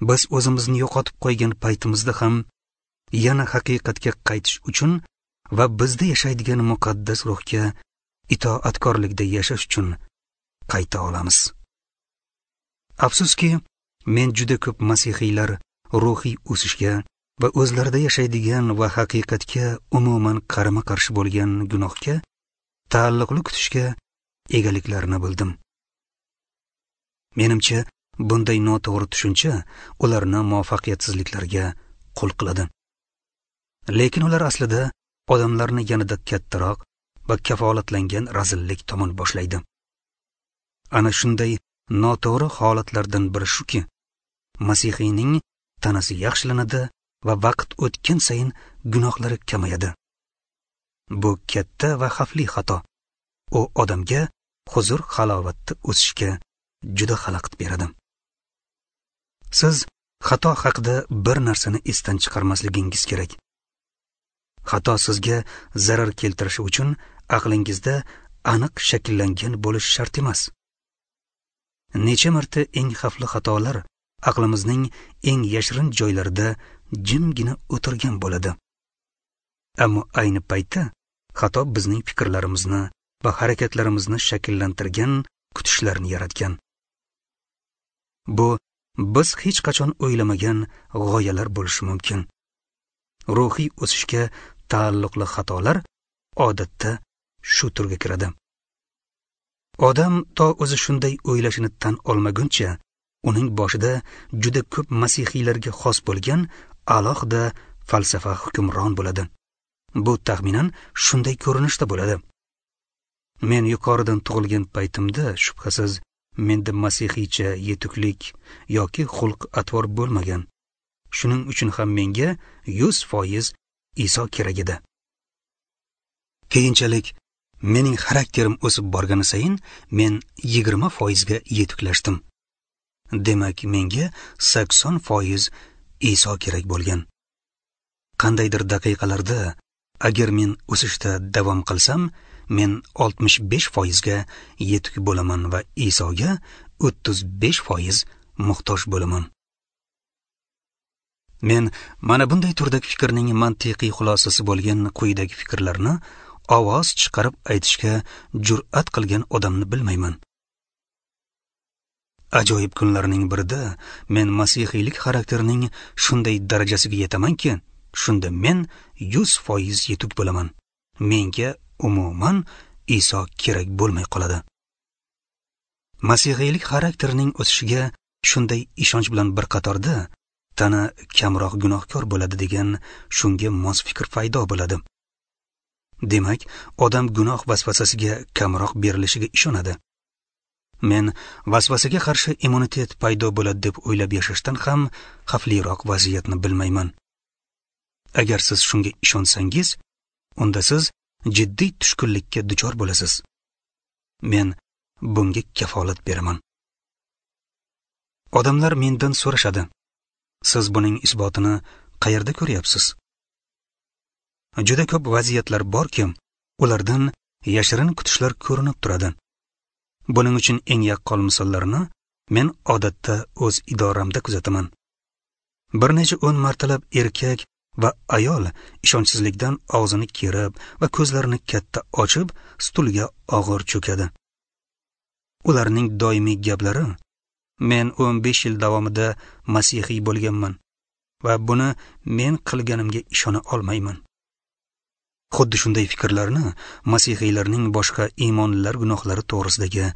Biz o'zimizni yo'qotib qo'ygan paytimizda ham yana haqiqatga qaytish uchun va bizda yashaydigan muqaddas ruhga itoatkorlikda yashash uchun qayta olamiz. Afsuski, men juda ko'p masihiylar ruhiy o'sishga va o'zlarida yashaydigan va haqiqatga umuman qarama-qarshi bo'lgan gunohga taalluqli kutishga egaliklarini bildim. Menimcha, bunday noto'g'ri tushuncha ularni muvaffaqiyatsizliklarga qul qiladi. Lekin ular aslida odamlarni yanada kattaroq va kafolatlangan razillik tomon boshlaydi. Ana shunday noto'g'ri holatlardan biri shuki, masihiyning tanasi yaxshilanadi va vaqt o'tgan sayin gunohlari kamayadi. Bu katta va xavfli xato. U odamga huzur halovatda o'sishga juda xalaqit beradi. Siz xato haqida bir narsani esdan chiqarmasligingiz kerak. Xato sizga zarar keltirishi uchun aqlingizda aniq shakllangan bo'lishi shart emas. Necha marta eng xavfli xatolar aqlimizning eng yashirin joylarida jimgina o'tirgan bo'ladi. Ammo ayni paytda xato bizning fikrlarimizni va harakatlarimizni shakllantirgan kutishlarni yaratgan. Bu biz hech qachon o'ylamagan g'oyalar bo'lishi mumkin. Ruhiy o'sishga taalluqli xatolar odatda shu turga kiradi. Odam to o'zi shunday o'ylashini tan olmaguncha, uning boshida juda ko'p masihiylarga xos bo'lgan alohida falsafa hukmron bo'ladi. Bu taxminan shunday ko'rinishda bo'ladi. Men yuqoridan tug'ilgan paytimda shubhasiz menda masihiycha yetuklik yoki xulq-atvor bo'lmagan. Shuning uchun ham menga 100% Iso kerak edi. Keyinchalik mening xarakterim o'sib borgani sayin men 20% ga yetuklashdim. Demak, menga 80% Iso kerak bo'lgan. Qandaydir daqiqalarda agar men o'sishda davom qilsam, men 65% ga yetuk bo'laman va Isoga 35% muhtoj bo'laman. Men mana bunday turdagi fikrning mantiqiy xulosasi bo'lgan quyidagi fikrlarni ovoz chiqarib aytishga jur'at qilgan odamni bilmayman. Ajoyib kunlarning birida men masihiylik xarakterining shunday darajasiga yetamanki, shunda men 100% yetuk bo'laman. Menga umuman Iso kerak bo'lmay qoladi. Masihiylik xarakterining o'sishiga shunday ishonch bilan bir qatorda tana kamroq gunohkor bo'ladi degan shunga mos fikr paydo bo'ladi. Demak, odam gunoh vasvasasiga kamroq berilishiga ishonadi. Men vasvasaga qarshi immunitet paydo bo'ladi deb o'ylab yashashdan ham xavfliroq vaziyatni bilmayman. Agar siz shunga ishonsangiz, unda siz jiddiy tushkunlikka duchor bo'lasiz. Men bunga kafolat beraman. Odamlar mendan so'rashadi: siz buning isbotini qayerda ko'ryapsiz? Juda ko'p vaziyatlar borki, ulardan yashirin kutishlar ko'rinib turadi. Buning uchun eng yaqqol misollarni men odatda o'z idoramda kuzataman. Bir necha o'n martalab erkak va ayol ishonchsizlikdan og'zini kerib va ko'zlarini katta ochib stulga og'ir cho'kadi. Ularning doimiy gaplari: men 15 yil davomida masihiy bo'lganman va buni men qilganimga ishona olmayman. Xuddi shunday fikrlarni masihiylarning boshqa iymonlilar gunohlari to'g'risidagi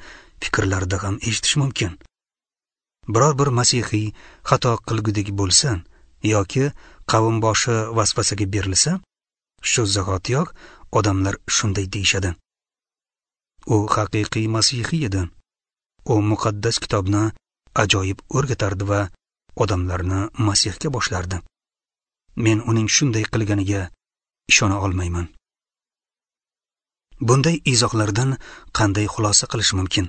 fikrlarida ham eshitish mumkin. Biror bir masihiy xato qilgudek bo'lsa yoki qavm boshi vasvasaga berilsa, shu zahotiyoq odamlar shunday deyishadi: u haqiqiy masihiy edi. U muqaddas kitobni ajoyib o'rgatardi va odamlarni Masihga boshlardi. Men uning shunday qilganiga ishona olmayman. Bunday izohlardan qanday xulosa qilish mumkin?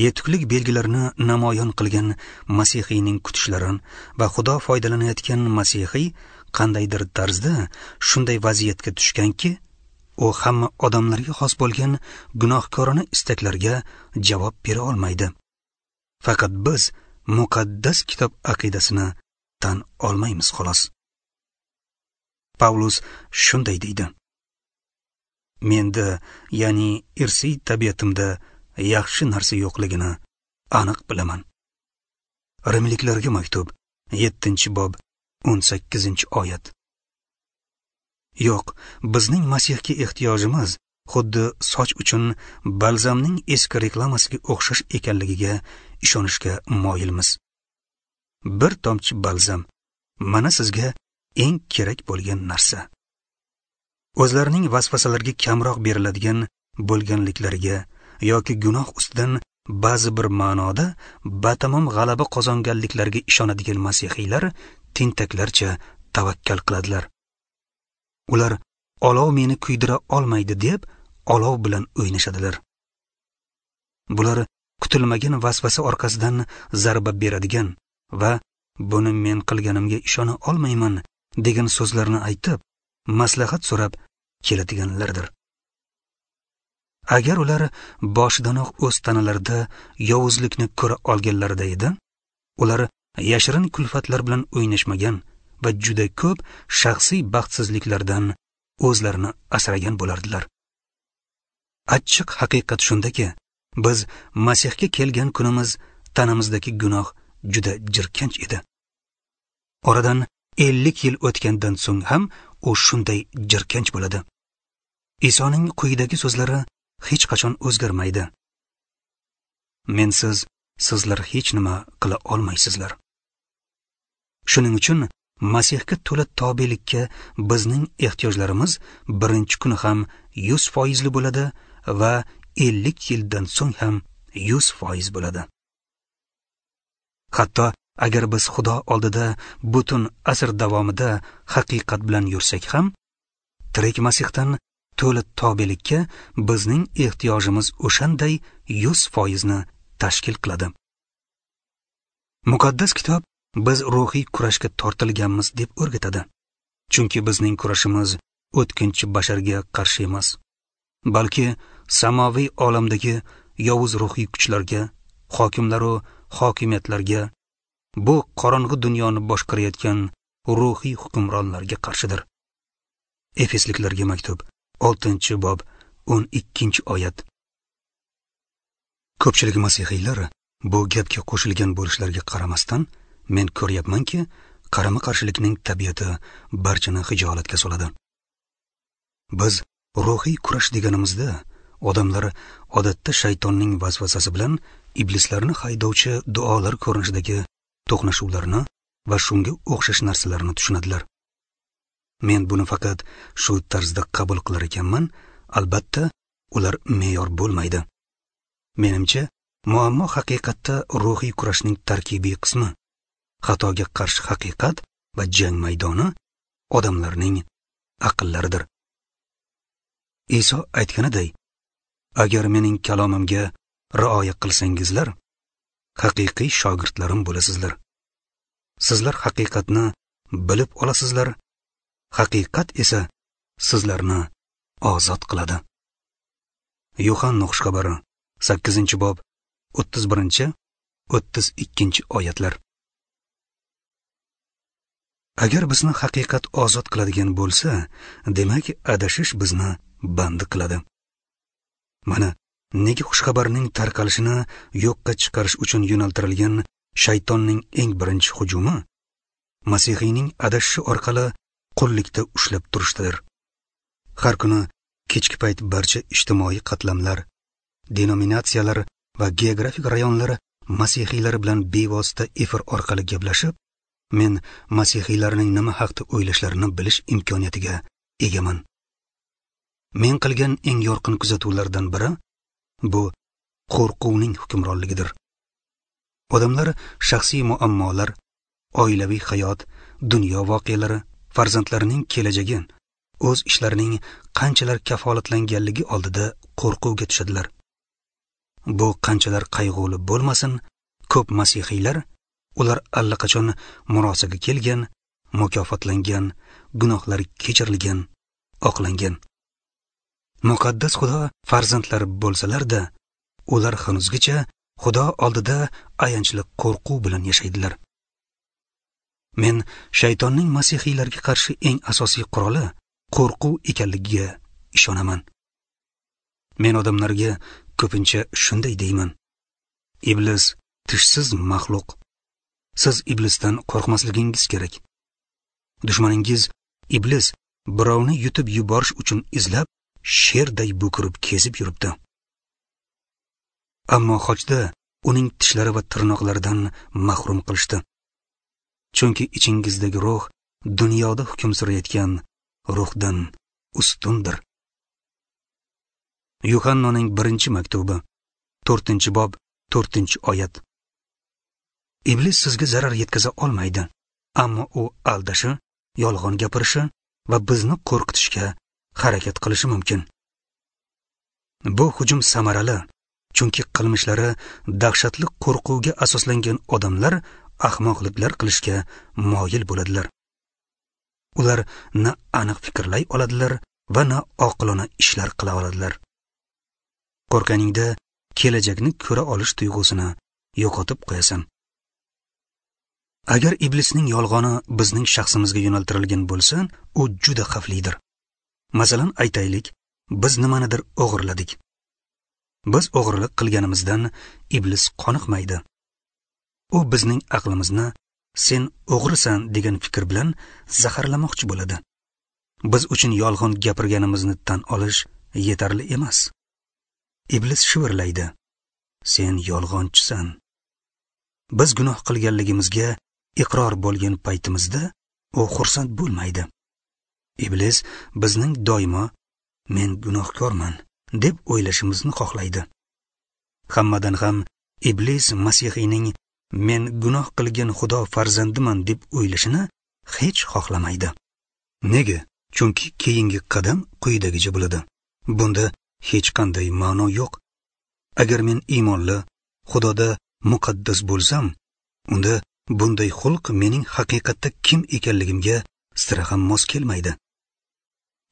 Yetuklik belgilarini namoyon qilgan masihiyning kutishlari va Xudo foydalanayotgan masihiy qandaydir tarzda shunday vaziyatga tushganki, u hamma odamlarga xos bo'lgan gunohkorona istaklarga javob bera olmaydi. Faqat biz muqaddas kitob aqidasini tan olmaymiz xolos. Pavlus shunday deydi: menda, ya'ni irsiy tabiatimda yaxshi narsa yo'qligini aniq bilaman. Rimliklarga maktub, 7-bob, 18-oyat. Yo'q, bizning Masihga ehtiyojimiz xuddi soch uchun balzamning eski reklamasiga o'xshash ekanligiga ishonishga moyilmiz. Bir tomchi balzam mana sizga eng kerak bo'lgan narsa. O'zlarining vasvasalarga kamroq beriladigan bo'lganliklariga yoki gunoh ustidan ba'zi bir ma'noda batamom g'alaba qozonganliklariga ishonadigan masihiylar tentaklarcha tavakkal qiladilar. Ular olov meni kuydira olmaydi deb olov bilan o'ynashadilar. Bular kutilmagan vasvasa orqasidan zarba beradigan va buni men qilganimga ishona olmayman degan so'zlarni aytib, maslahat so'rab keladiganlardir. Agar ular boshidanoq o'z tanalarida yovuzlikni ko'ra olganlarida edi, ular yashirin kulfatlar bilan o'ynashmagan va juda ko'p shaxsiy baxtsizliklardan o'zlarini asragan bo'lardilar. Achchiq haqiqat shundaki, biz Masihga kelgan kunimiz tanamizdagi gunoh juda jirkanch edi. Oradan 50 yil o'tgandan so'ng ham u shunday jirkanch bo'ladi. Isoning quyidagi so'zlari hech qachon o'zgarmaydi: Mensiz sizlar hech nima qila olmaysizlar. Shuning uchun Masihga to'la tobelikka bizning ehtiyojlarimiz birinchi kuni ham 100% bo'ladi va 50 yildan so'ng ham 100% bo'ladi. Hatto agar biz Xudo oldida butun asr davomida haqiqat bilan yursak ham, tirik Masihdan to'la tobelikka bizning ehtiyojimiz o'shanday 100% ni tashkil qiladi. Muqaddas kitob biz ruhiy kurashga tortilganmiz deb o'rgatadi. Chunki bizning kurashimiz o'tkinchi basharga qarshi emas, balki samoviy olamdagi yovuz ruhiy kuchlarga, hokimlar va hokimiyatlarga, bu qorong'i dunyoni boshqarayotgan ruhiy hukmronlarga qarshidir. Efesliklarga maktub, 6-bob, 12-oyat. Ko'pchilik masihiylar Bu gapga qo'shilgan bo'lishlariga qaramasdan, men ko'ryapmanki, qarama-qarshilikning tabiati barchani xijolatga soladi. Biz ruhiy kurash deganimizda odamlar odatda shaytonning vasvasasi bilan iblislarni haydovchi duolar ko'rinishidagi to'qnashuvlarni va shunga o'xshash narsalarni tushunadilar. Men buni faqat shu tarzda qabul qilar ekanman, albatta ular me'yor bo'lmaydi. Menimcha, muammo haqiqatda ruhiy kurashning tarkibiy qismi, xatoga qarshi haqiqat va jang maydoni odamlarning aqllaridir. Iso aytganiday, agar mening kalomimga rioya qilsangizlar, haqiqiy shogirdlarim bo'lasizlar. Sizlar haqiqatni bilib olasizlar, haqiqat esa sizlarni ozod qiladi. Yuhanna xushxabari 8-bob 31-32 oyatlar. Agar bizni haqiqat ozod qiladigan bo'lsa, demak adashish bizni bandi qiladi. Mana nega xushxabarning tarqalishini yo'qqa chiqarish uchun yo'naltirilgan shaytonning eng birinchi hujumi Masihiyning adashishi orqali qullikda ushlab turishdir. Har kuni kechki payt barcha ijtimoiy qatlamlar, denominatsiyalar va geografik rayonlar masihiylar bilan bevosita efir orqali gaplashib, men masihiylarning nima haqda o'ylashlarini bilish imkoniyatiga egaman. Men qilgan eng yorqin kuzatuvlardan biri bu qo'rquvning hukmronligidir. Odamlar shaxsiy muammolar, oilaviy hayot, dunyo voqealari, farzandlarining kelajagi, o'z ishlarining qanchalar kafolatlanganligi oldida qo'rquvga tushadilar. Bu qanchalar qayg'uli bo'lmasin, ko'p masihiylar ular allaqachon murosaga kelgan, mukofotlangan, gunohlari kechirilgan, oqlangan. Muqaddas Xudo farzandlari bo'lsalar-da, ular hanuzgacha Xudo oldida ayanchli qo'rquv bilan yashaydilar. Men shaytonning masihiylarga qarshi eng asosiy quroli qo'rquv ekanligiga ishonaman. Men odamlarga ko'pincha shunday deyman: Iblis tishsiz maxluq. Siz iblisdan qo'rqmasligingiz kerak. Dushmaningiz iblis birovni yutib yuborish uchun izlab, sherday bo'kirib kezib yuribdi. Ammo xochda uning tishlari va tirnoqlaridan mahrum qilishdi. Chunki ichingizdagi ruh dunyoda hukm surayotgan ruhdan ustundir. Yuhannoning 1-maktubi, 4-bob, 4-oyat. Iblis sizga zarar yetkaza olmaydi, ammo u aldashi, yolg'on gapirishi va bizni qo'rqitishga harakat qilishi mumkin. Bu hujum samarali, chunki qilmishlari dahshatli qo'rquvga asoslangan odamlar ahmoqliklar qilishga moyil bo'ladilar. Ular na aniq fikrlay oladilar va na oqilona ishlar qila oladilar. Qo'rqqaningda kelajakni ko'ra olish tuyg'usini yo'qotib qo'yasan. Agar iblisning yolg'oni bizning shaxsimizga yo'naltirilgan bo'lsa, u juda xavflidir. Masalan, aytaylik, biz nimanidir o'g'irladik. Biz o'g'irlik qilganimizdan iblis qoniqmaydi. U bizning aqlimizni sen o'g'risan degan fikr bilan zaharlamoqchi bo'ladi. Biz uchun yolg'on gapirganimizni tan olish yetarli emas. Iblis shivirlaydi: sen yolg'onchisan. Biz gunoh qilganligimizga iqror bo'lgan paytimizda u xursand bo'lmaydi. Iblis bizning doimo men gunohkorman deb o'ylashimizni xohlaydi. Hammadan ham iblis Masihiyning men gunoh qilgan Xudo farzandiman deb o'ylashini hech xohlamaydi. Nega? Chunki keyingi qadam quyidagicha bo'ladi. Bunda hech qanday ma'no yo'q. Agar men iymonli, Xudoda muqaddas bo'lsam, unda bunday xulq mening haqiqatda kim ekanligimga sira ham mos kelmaydi.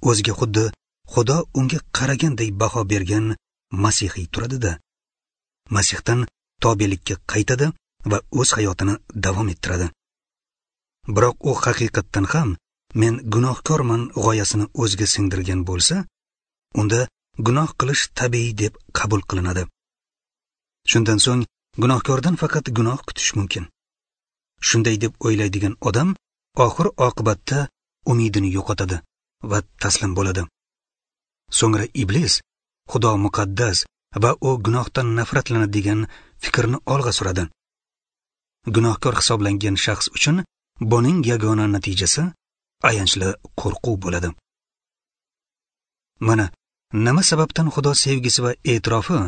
O'ziga xuddi Xudo unga qaraganday baho bergan Masihiy turadi-da, Masihdan tobelikka qaytadi va o'z hayotini davom ettiradi. Biroq u haqiqatdan ham men gunohkorman g'oyasini o'ziga singdirgan bo'lsa, unda gunoh qilish tabiiy deb qabul qilinadi. Shundan so'ng Gunohkordan faqat gunoh kutish mumkin. Shunday deb o'ylaydigan odam oxir oqibatda umidini yo'qotadi va taslim bo'ladi. So'ngra iblis Xudo muqaddas va u gunohdan nafratlanadi degan fikrni olg'a suradi. Gunohkor hisoblangan shaxs uchun buning yagona natijasi ayanchli qo'rquv bo'ladi. Mana nima sababdan Xudo sevgisi va e'tirofi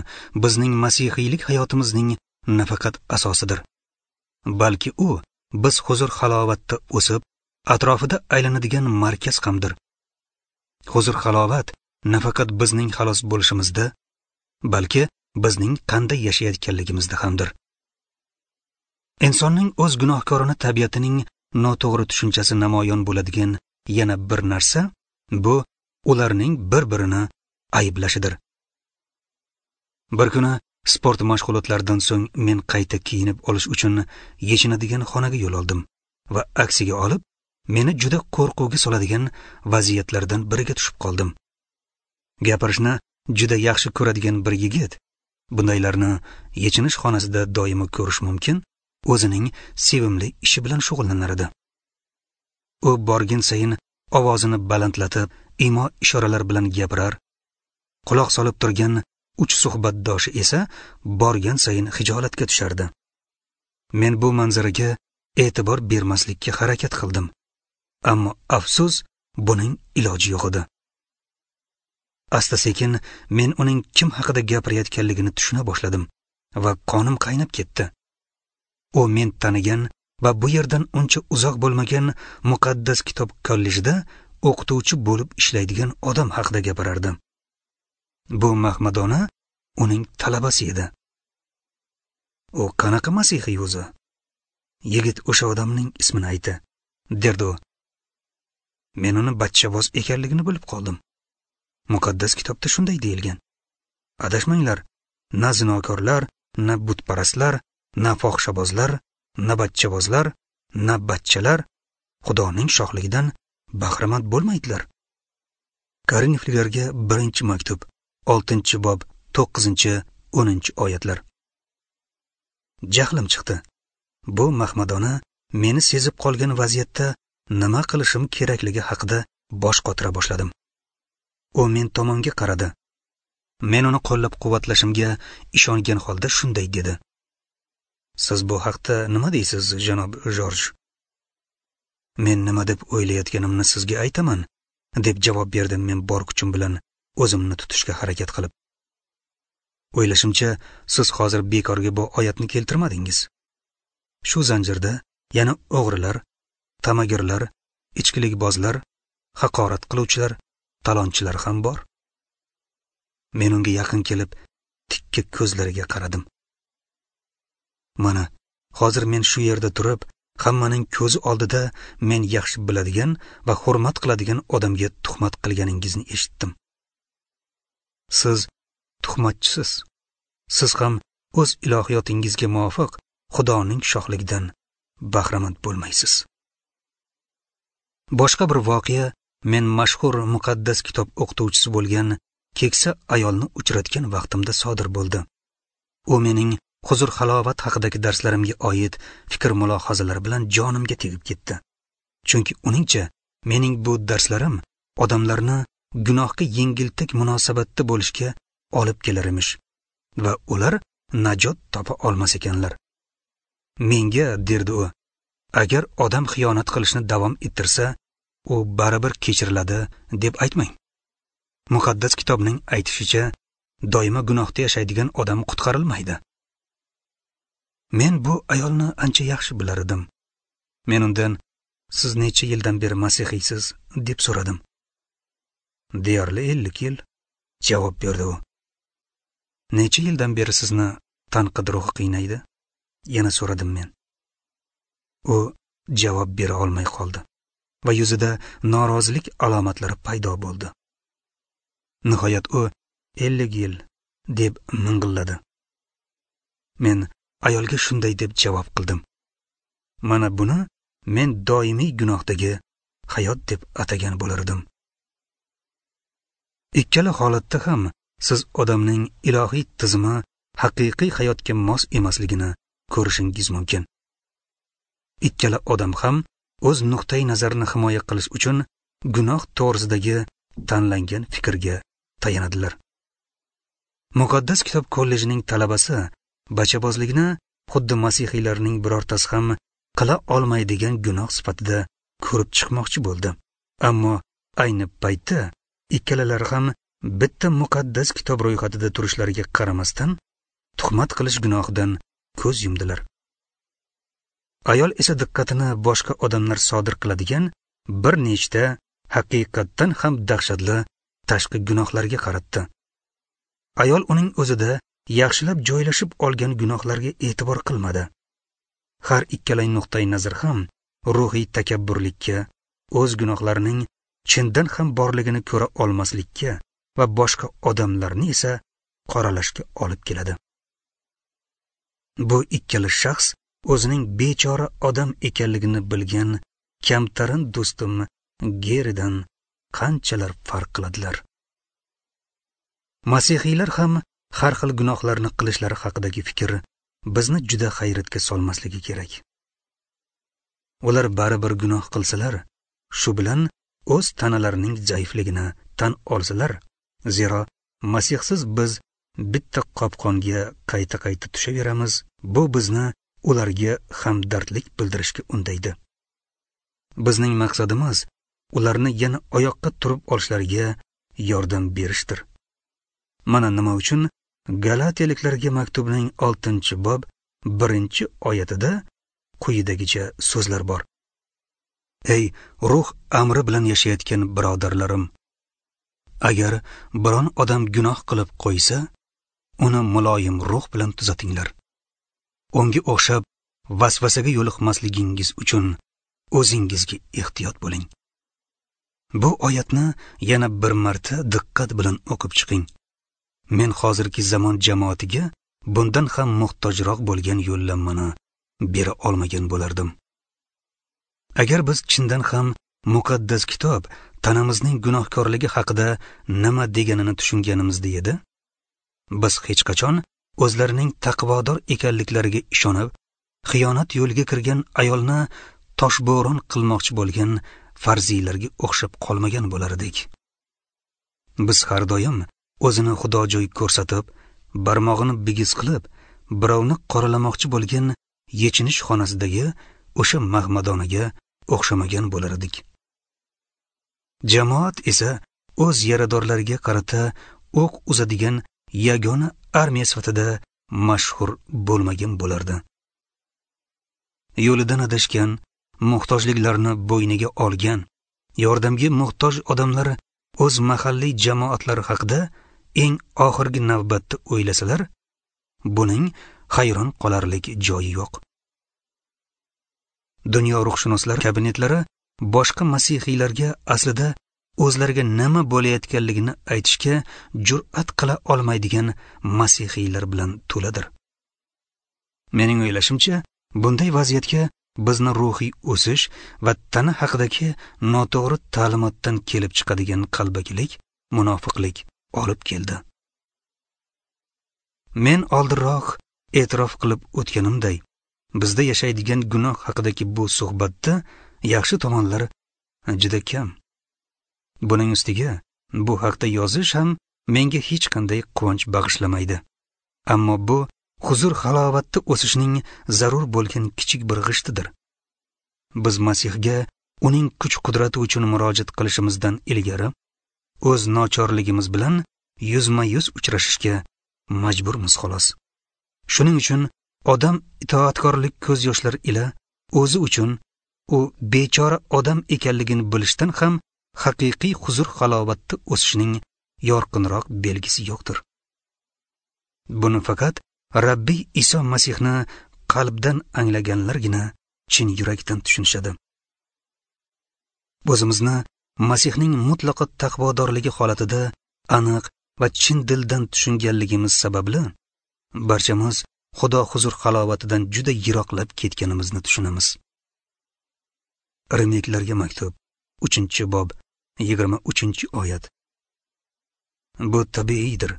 bizning masihiylik hayotimizning nafaqat asosidir, balki u biz huzur halovatda o'sib, atrofida aylanadigan markaz hamdir. Huzur halovat nafaqat bizning xalos bo'lishimizda, balki bizning qanday yashayotganligimizda hamdir. Insonning o'z gunohkorona tabiatining noto'g'ri tushunchasi namoyon bo'ladigan yana bir narsa bu ularning bir-birini ayblashidir. Bir kuni sport mashg'ulotlaridan so'ng men qayta kiyinib olish uchun yechinadigan xonaga yo'l oldim va aksiga olib meni juda qo'rquvga soladigan vaziyatlardan biriga tushib qoldim. Gapirishni juda yaxshi ko'radigan bir yigit, bundaylarni yechinish xonasida doimo ko'rish mumkin, o'zining sevimli ishi bilan shug'ullanar edi. U borgin sayin ovozini balandlatib, imo ishoralar bilan gapirar. Quloq solib turgan uch suhbatdoshi esa borgan sayin xijolatga tushardi. Men bu manzaraga e'tibor bermaslikka harakat qildim. Ammo afsus, buning iloji yo'q edi. Asta-sekin men uning kim haqida gapirayotganligini tushuna boshladim va qonim qaynab ketdi. U men tanigan va bu yerdan uncha uzoq bo'lmagan muqaddas kitob kollejida o'qituvchi bo'lib ishlaydigan odam haqida gapirardi. Bu mahmadona uning talabasi edi. U qanaqa masihiy o'zi? Yigit o'sha odamning ismini aytdi, derdi u. Men uni bachchavoz ekanligini bilib qoldim. Muqaddas kitobda shunday deyilgan. Adashmanglar, na zinokorlar, na butparastlar, na fohishabozlar, na bachchabozlar, na bachchalar Xudoning shohligidan bahramand bo'lmaydilar. Korinfliklarga 1-maktub, 6-bob, 9-10 oyatlar. Jahlim chiqdi. Bu mahmadona meni sezib qolgan vaziyatda nima qilishim kerakligi haqida bosh qotira boshladim. U men tomonga qaradi. Men uni qo'llab-quvvatlashimga ishongan holda shunday dedi: Siz bu haqda nima deysiz, janob Jorj? Men nima deb o'ylayotganimni sizga aytaman, deb javob berdim men bor kuchim bilan o'zimni tutishga harakat qilib. O'ylashimcha, siz hozir bekorga bu oyatni keltirmadingiz. Shu zanjirda yana o'g'rilar, tamagirlar, ichkilikbozlar, haqorat qiluvchilar, talonchilar ham bor. Men unga yaqin kelib, tikka ko'zlariga qaradim. Mana, hozir men shu yerda turib, hammaning ko'zi oldida men yaxshi biladigan va hurmat qiladigan odamga tuhmat qilganingizni eshitdim. Siz tuhmatchisiz. Siz ham o'z ilohiyotingizga muvofiq Xudoning shohligidan bahramand bo'lmaysiz. Boshqa bir voqea men mashhur muqaddas kitob o'qituvchisi bo'lgan keksa ayolni uchratgan vaqtimda sodir bo'ldi. U mening huzur halovat haqidagi darslarimga oid fikr mulohazalar bilan jonimga tegib ketdi. Chunki uningcha mening bu darslarim odamlarni gunohga yengiltak munosabatda bo'lishga olib kelar emish va ular najot topa olmas ekanlar. Menga, derdi u, agar odam xiyonat qilishni davom ettirsa, u baribir kechiriladi deb aytmang. Muqaddas kitobning aytishicha, doimo gunohda yashaydigan odam qutqarilmaydi. Men bu ayolni ancha yaxshi bilar edim. Men undan, siz necha yildan beri masihiysiz, deb so'radim. Deyarli 50 yil, javob berdi u. Necha yildan beri sizni tanqid ruhi qiynaydi? Yana so'radim men. U javob bera olmay qoldi va yuzida norozilik alomatlari paydo bo'ldi. Nihoyat u 50 yil deb ming'illadi. Men ayolga shunday deb javob qildim. Mana buni men doimiy gunohdagi hayot deb atagan bo'lar edim. Ikkala holatda ham siz odamning ilohiy tizimi haqiqiy hayotga mos emasligini ko'rishingiz mumkin. Ikkala odam ham o'z nuqtai nazarini himoya qilish uchun gunoh to'g'risidagi tanlangan fikrga tayanadilar. Muqaddas kitob kollejining talabasi bachabozlikni xuddi masihiylarning birortasi ham qila olmaydigan gunoh sifatida ko'rib chiqmoqchi bo'ldi. Ammo ayni paytda ikkalalari ham bitta muqaddas kitob ro'yxatida turishlariga qaramasdan tuhmat qilish gunohidan ko'z yumdilar. Ayol esa diqqatini boshqa odamlar sodir qiladigan bir nechta haqiqatdan ham dahshatli tashqi gunohlarga qaratdi. Ayol uning o'zida yaxshilab joylashib olgan gunohlarga e'tibor qilmadi. Har ikkala nuqtai nazar ham ruhiy takabburlikka, o'z gunohlarining chindan ham borligini ko'ra olmaslikka va boshqa odamlarni esa qoralashga olib keladi. Bu ikkala shaxs o'zining bechora odam ekanligini bilgan kamtarin do'stim Geridan qanchalar farq qiladilar. Masihiylar ham har xil gunohlarni qilishlari haqidagi fikr bizni juda hayratga solmasligi kerak. Ular baribir gunoh qilsalar, shu bilan o'z tanalarining zaifligini tan olsalar, zero Masihsiz biz bitta qopqonga qayta-qayta tushaveramiz, bu bizni ularga hamdardlik bildirishga undaydi. Bizning maqsadimiz ularni yana oyoqqa turib olishlariga yordam berishdir. Mana nima uchun Galatiyaliklarga maktubning 6-bob 1-oyatida quyidagicha so'zlar bor. Ey ruh amri bilan yashayotgan birodarlarim, agar biron odam gunoh qilib qo'ysa, uni muloyim ruh bilan tuzatinglar. Unga o'xshab vasvasaga yo'liqmasligingiz uchun o'zingizga ehtiyot bo'ling. Bu oyatni yana bir marta diqqat bilan o'qib chiqing. Men hozirgi zamon jamoatiga bundan ham muhtojroq bo'lgan yo'llanmani bera olmagan bo'lardim. Agar biz chindan ham muqaddas kitob tanamizning gunohkorligi haqida nima deganini tushunganimizda edi, biz hech qachon o'zlarining taqvodor ekanliklariga ishonib, xiyonat yo'liga kirgan ayolni toshbo'ron qilmoqchi bo'lgan farziylarga o'xshab qolmagan bo'lar edik. Biz har doim o'zini xudojo'y ko'rsatib, barmog'ini bigiz qilib, birovni qoralamoqchi bo'lgan yechinish xonasidagi o'sha mahmadonaga o'xshamagan bo'lar edik. Jamoat esa o'z yaradorlariga qarata o'q uzadigan yagona armiya sifatida mashhur bo'lmagan bo'lardi. Yo'lidan adashgan, muhtojliklarni bo'yniga olgan, yordamga muhtoj odamlar o'z mahalliy jamoatlari haqida eng oxirgi navbatda o'ylasalar, buning hayron qolarlik joyi yo'q. Dunyo ruhshunoslar kabinetlari boshqa masihiylarga aslida o'zlariga nima bo'layotganligini aytishga jur'at qila olmaydigan masihiylar bilan to'ladir. Mening o'ylashimcha, bunday vaziyatga bizni ruhiy o'sish va tana haqidagi noto'g'ri ta'limotdan kelib chiqadigan qalbakilik, munofiqlik olib keldi. Men oldinroq e'tirof qilib o'tganimday, bizda yashaydigan gunoh haqidagi bu suhbatda yaxshi tomonlar juda kam. Buning ustiga bu haqda yozish ham menga hech qanday quvonch bag'ishlamaydi. Ammo bu huzur halovatda o'sishning zarur bo'lgan kichik bir g'ishtidir. Biz Masihga uning kuch-qudrati uchun murojaat qilishimizdan ilgari o'z nochorligimiz bilan yuzma-yuz uchrashishga majburmiz xolos. Shuning uchun odam itoatkorlik ko'z yoshlari ila o'zi uchun u bechora odam ekanligini bilishdan ham haqiqiy huzur halovatda o'sishning yorqinroq belgisi yo'qdir. Buni faqat Rabbiy Iso Masihni qalbdan anglaganlargina chin yurakdan tushunishadi. O'zimizni Masihning mutlaqo taqvodorligi holatida aniq va chin dildan tushunganligimiz sababli barchamiz Xudo huzur halovatidan juda yiroqlab ketganimizni tushunamiz. Rimliklarga maktub 3-bob 23-oyat. Bu tabiiydir.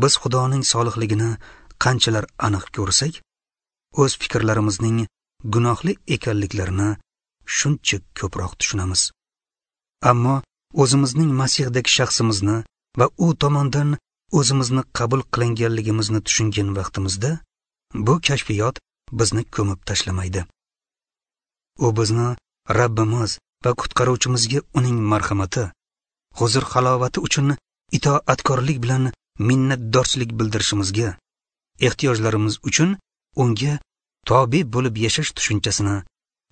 Biz Xudoning solihligini qanchalar aniq ko'rsak, o'z fikrlarimizning gunohli ekanliklarini shuncha ko'proq tushunamiz. Ammo o'zimizning Masihdagi shaxsimizni va u tomondan o'zimizni qabul qilinganligimizni tushungan vaqtimizda bu kashfiyot bizni ko'mib tashlamaydi. U bizni Rabbimiz va qutqaruvchimizga uning marhamati, huzur halovati uchun itoatkorlik bilan minnatdorchilik bildirishimizga, ehtiyojlarimiz uchun unga tobe bo'lib yashash tushunchasini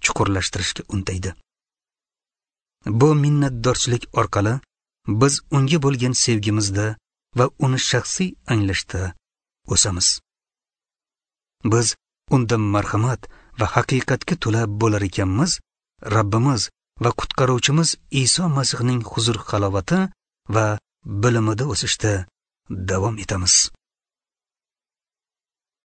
chuqurlashtirishga undaydi. Bu minnatdorchilik orqali biz unga bo'lgan sevgimizda va uni shaxsiy anglashda o'samiz. Biz unda marhamat va haqiqatga to'la bo'lar ekanmiz, Rabbimiz va qutqaruvchimiz Iso Masihning huzur halovati va bilimida o'sishda davom etamiz.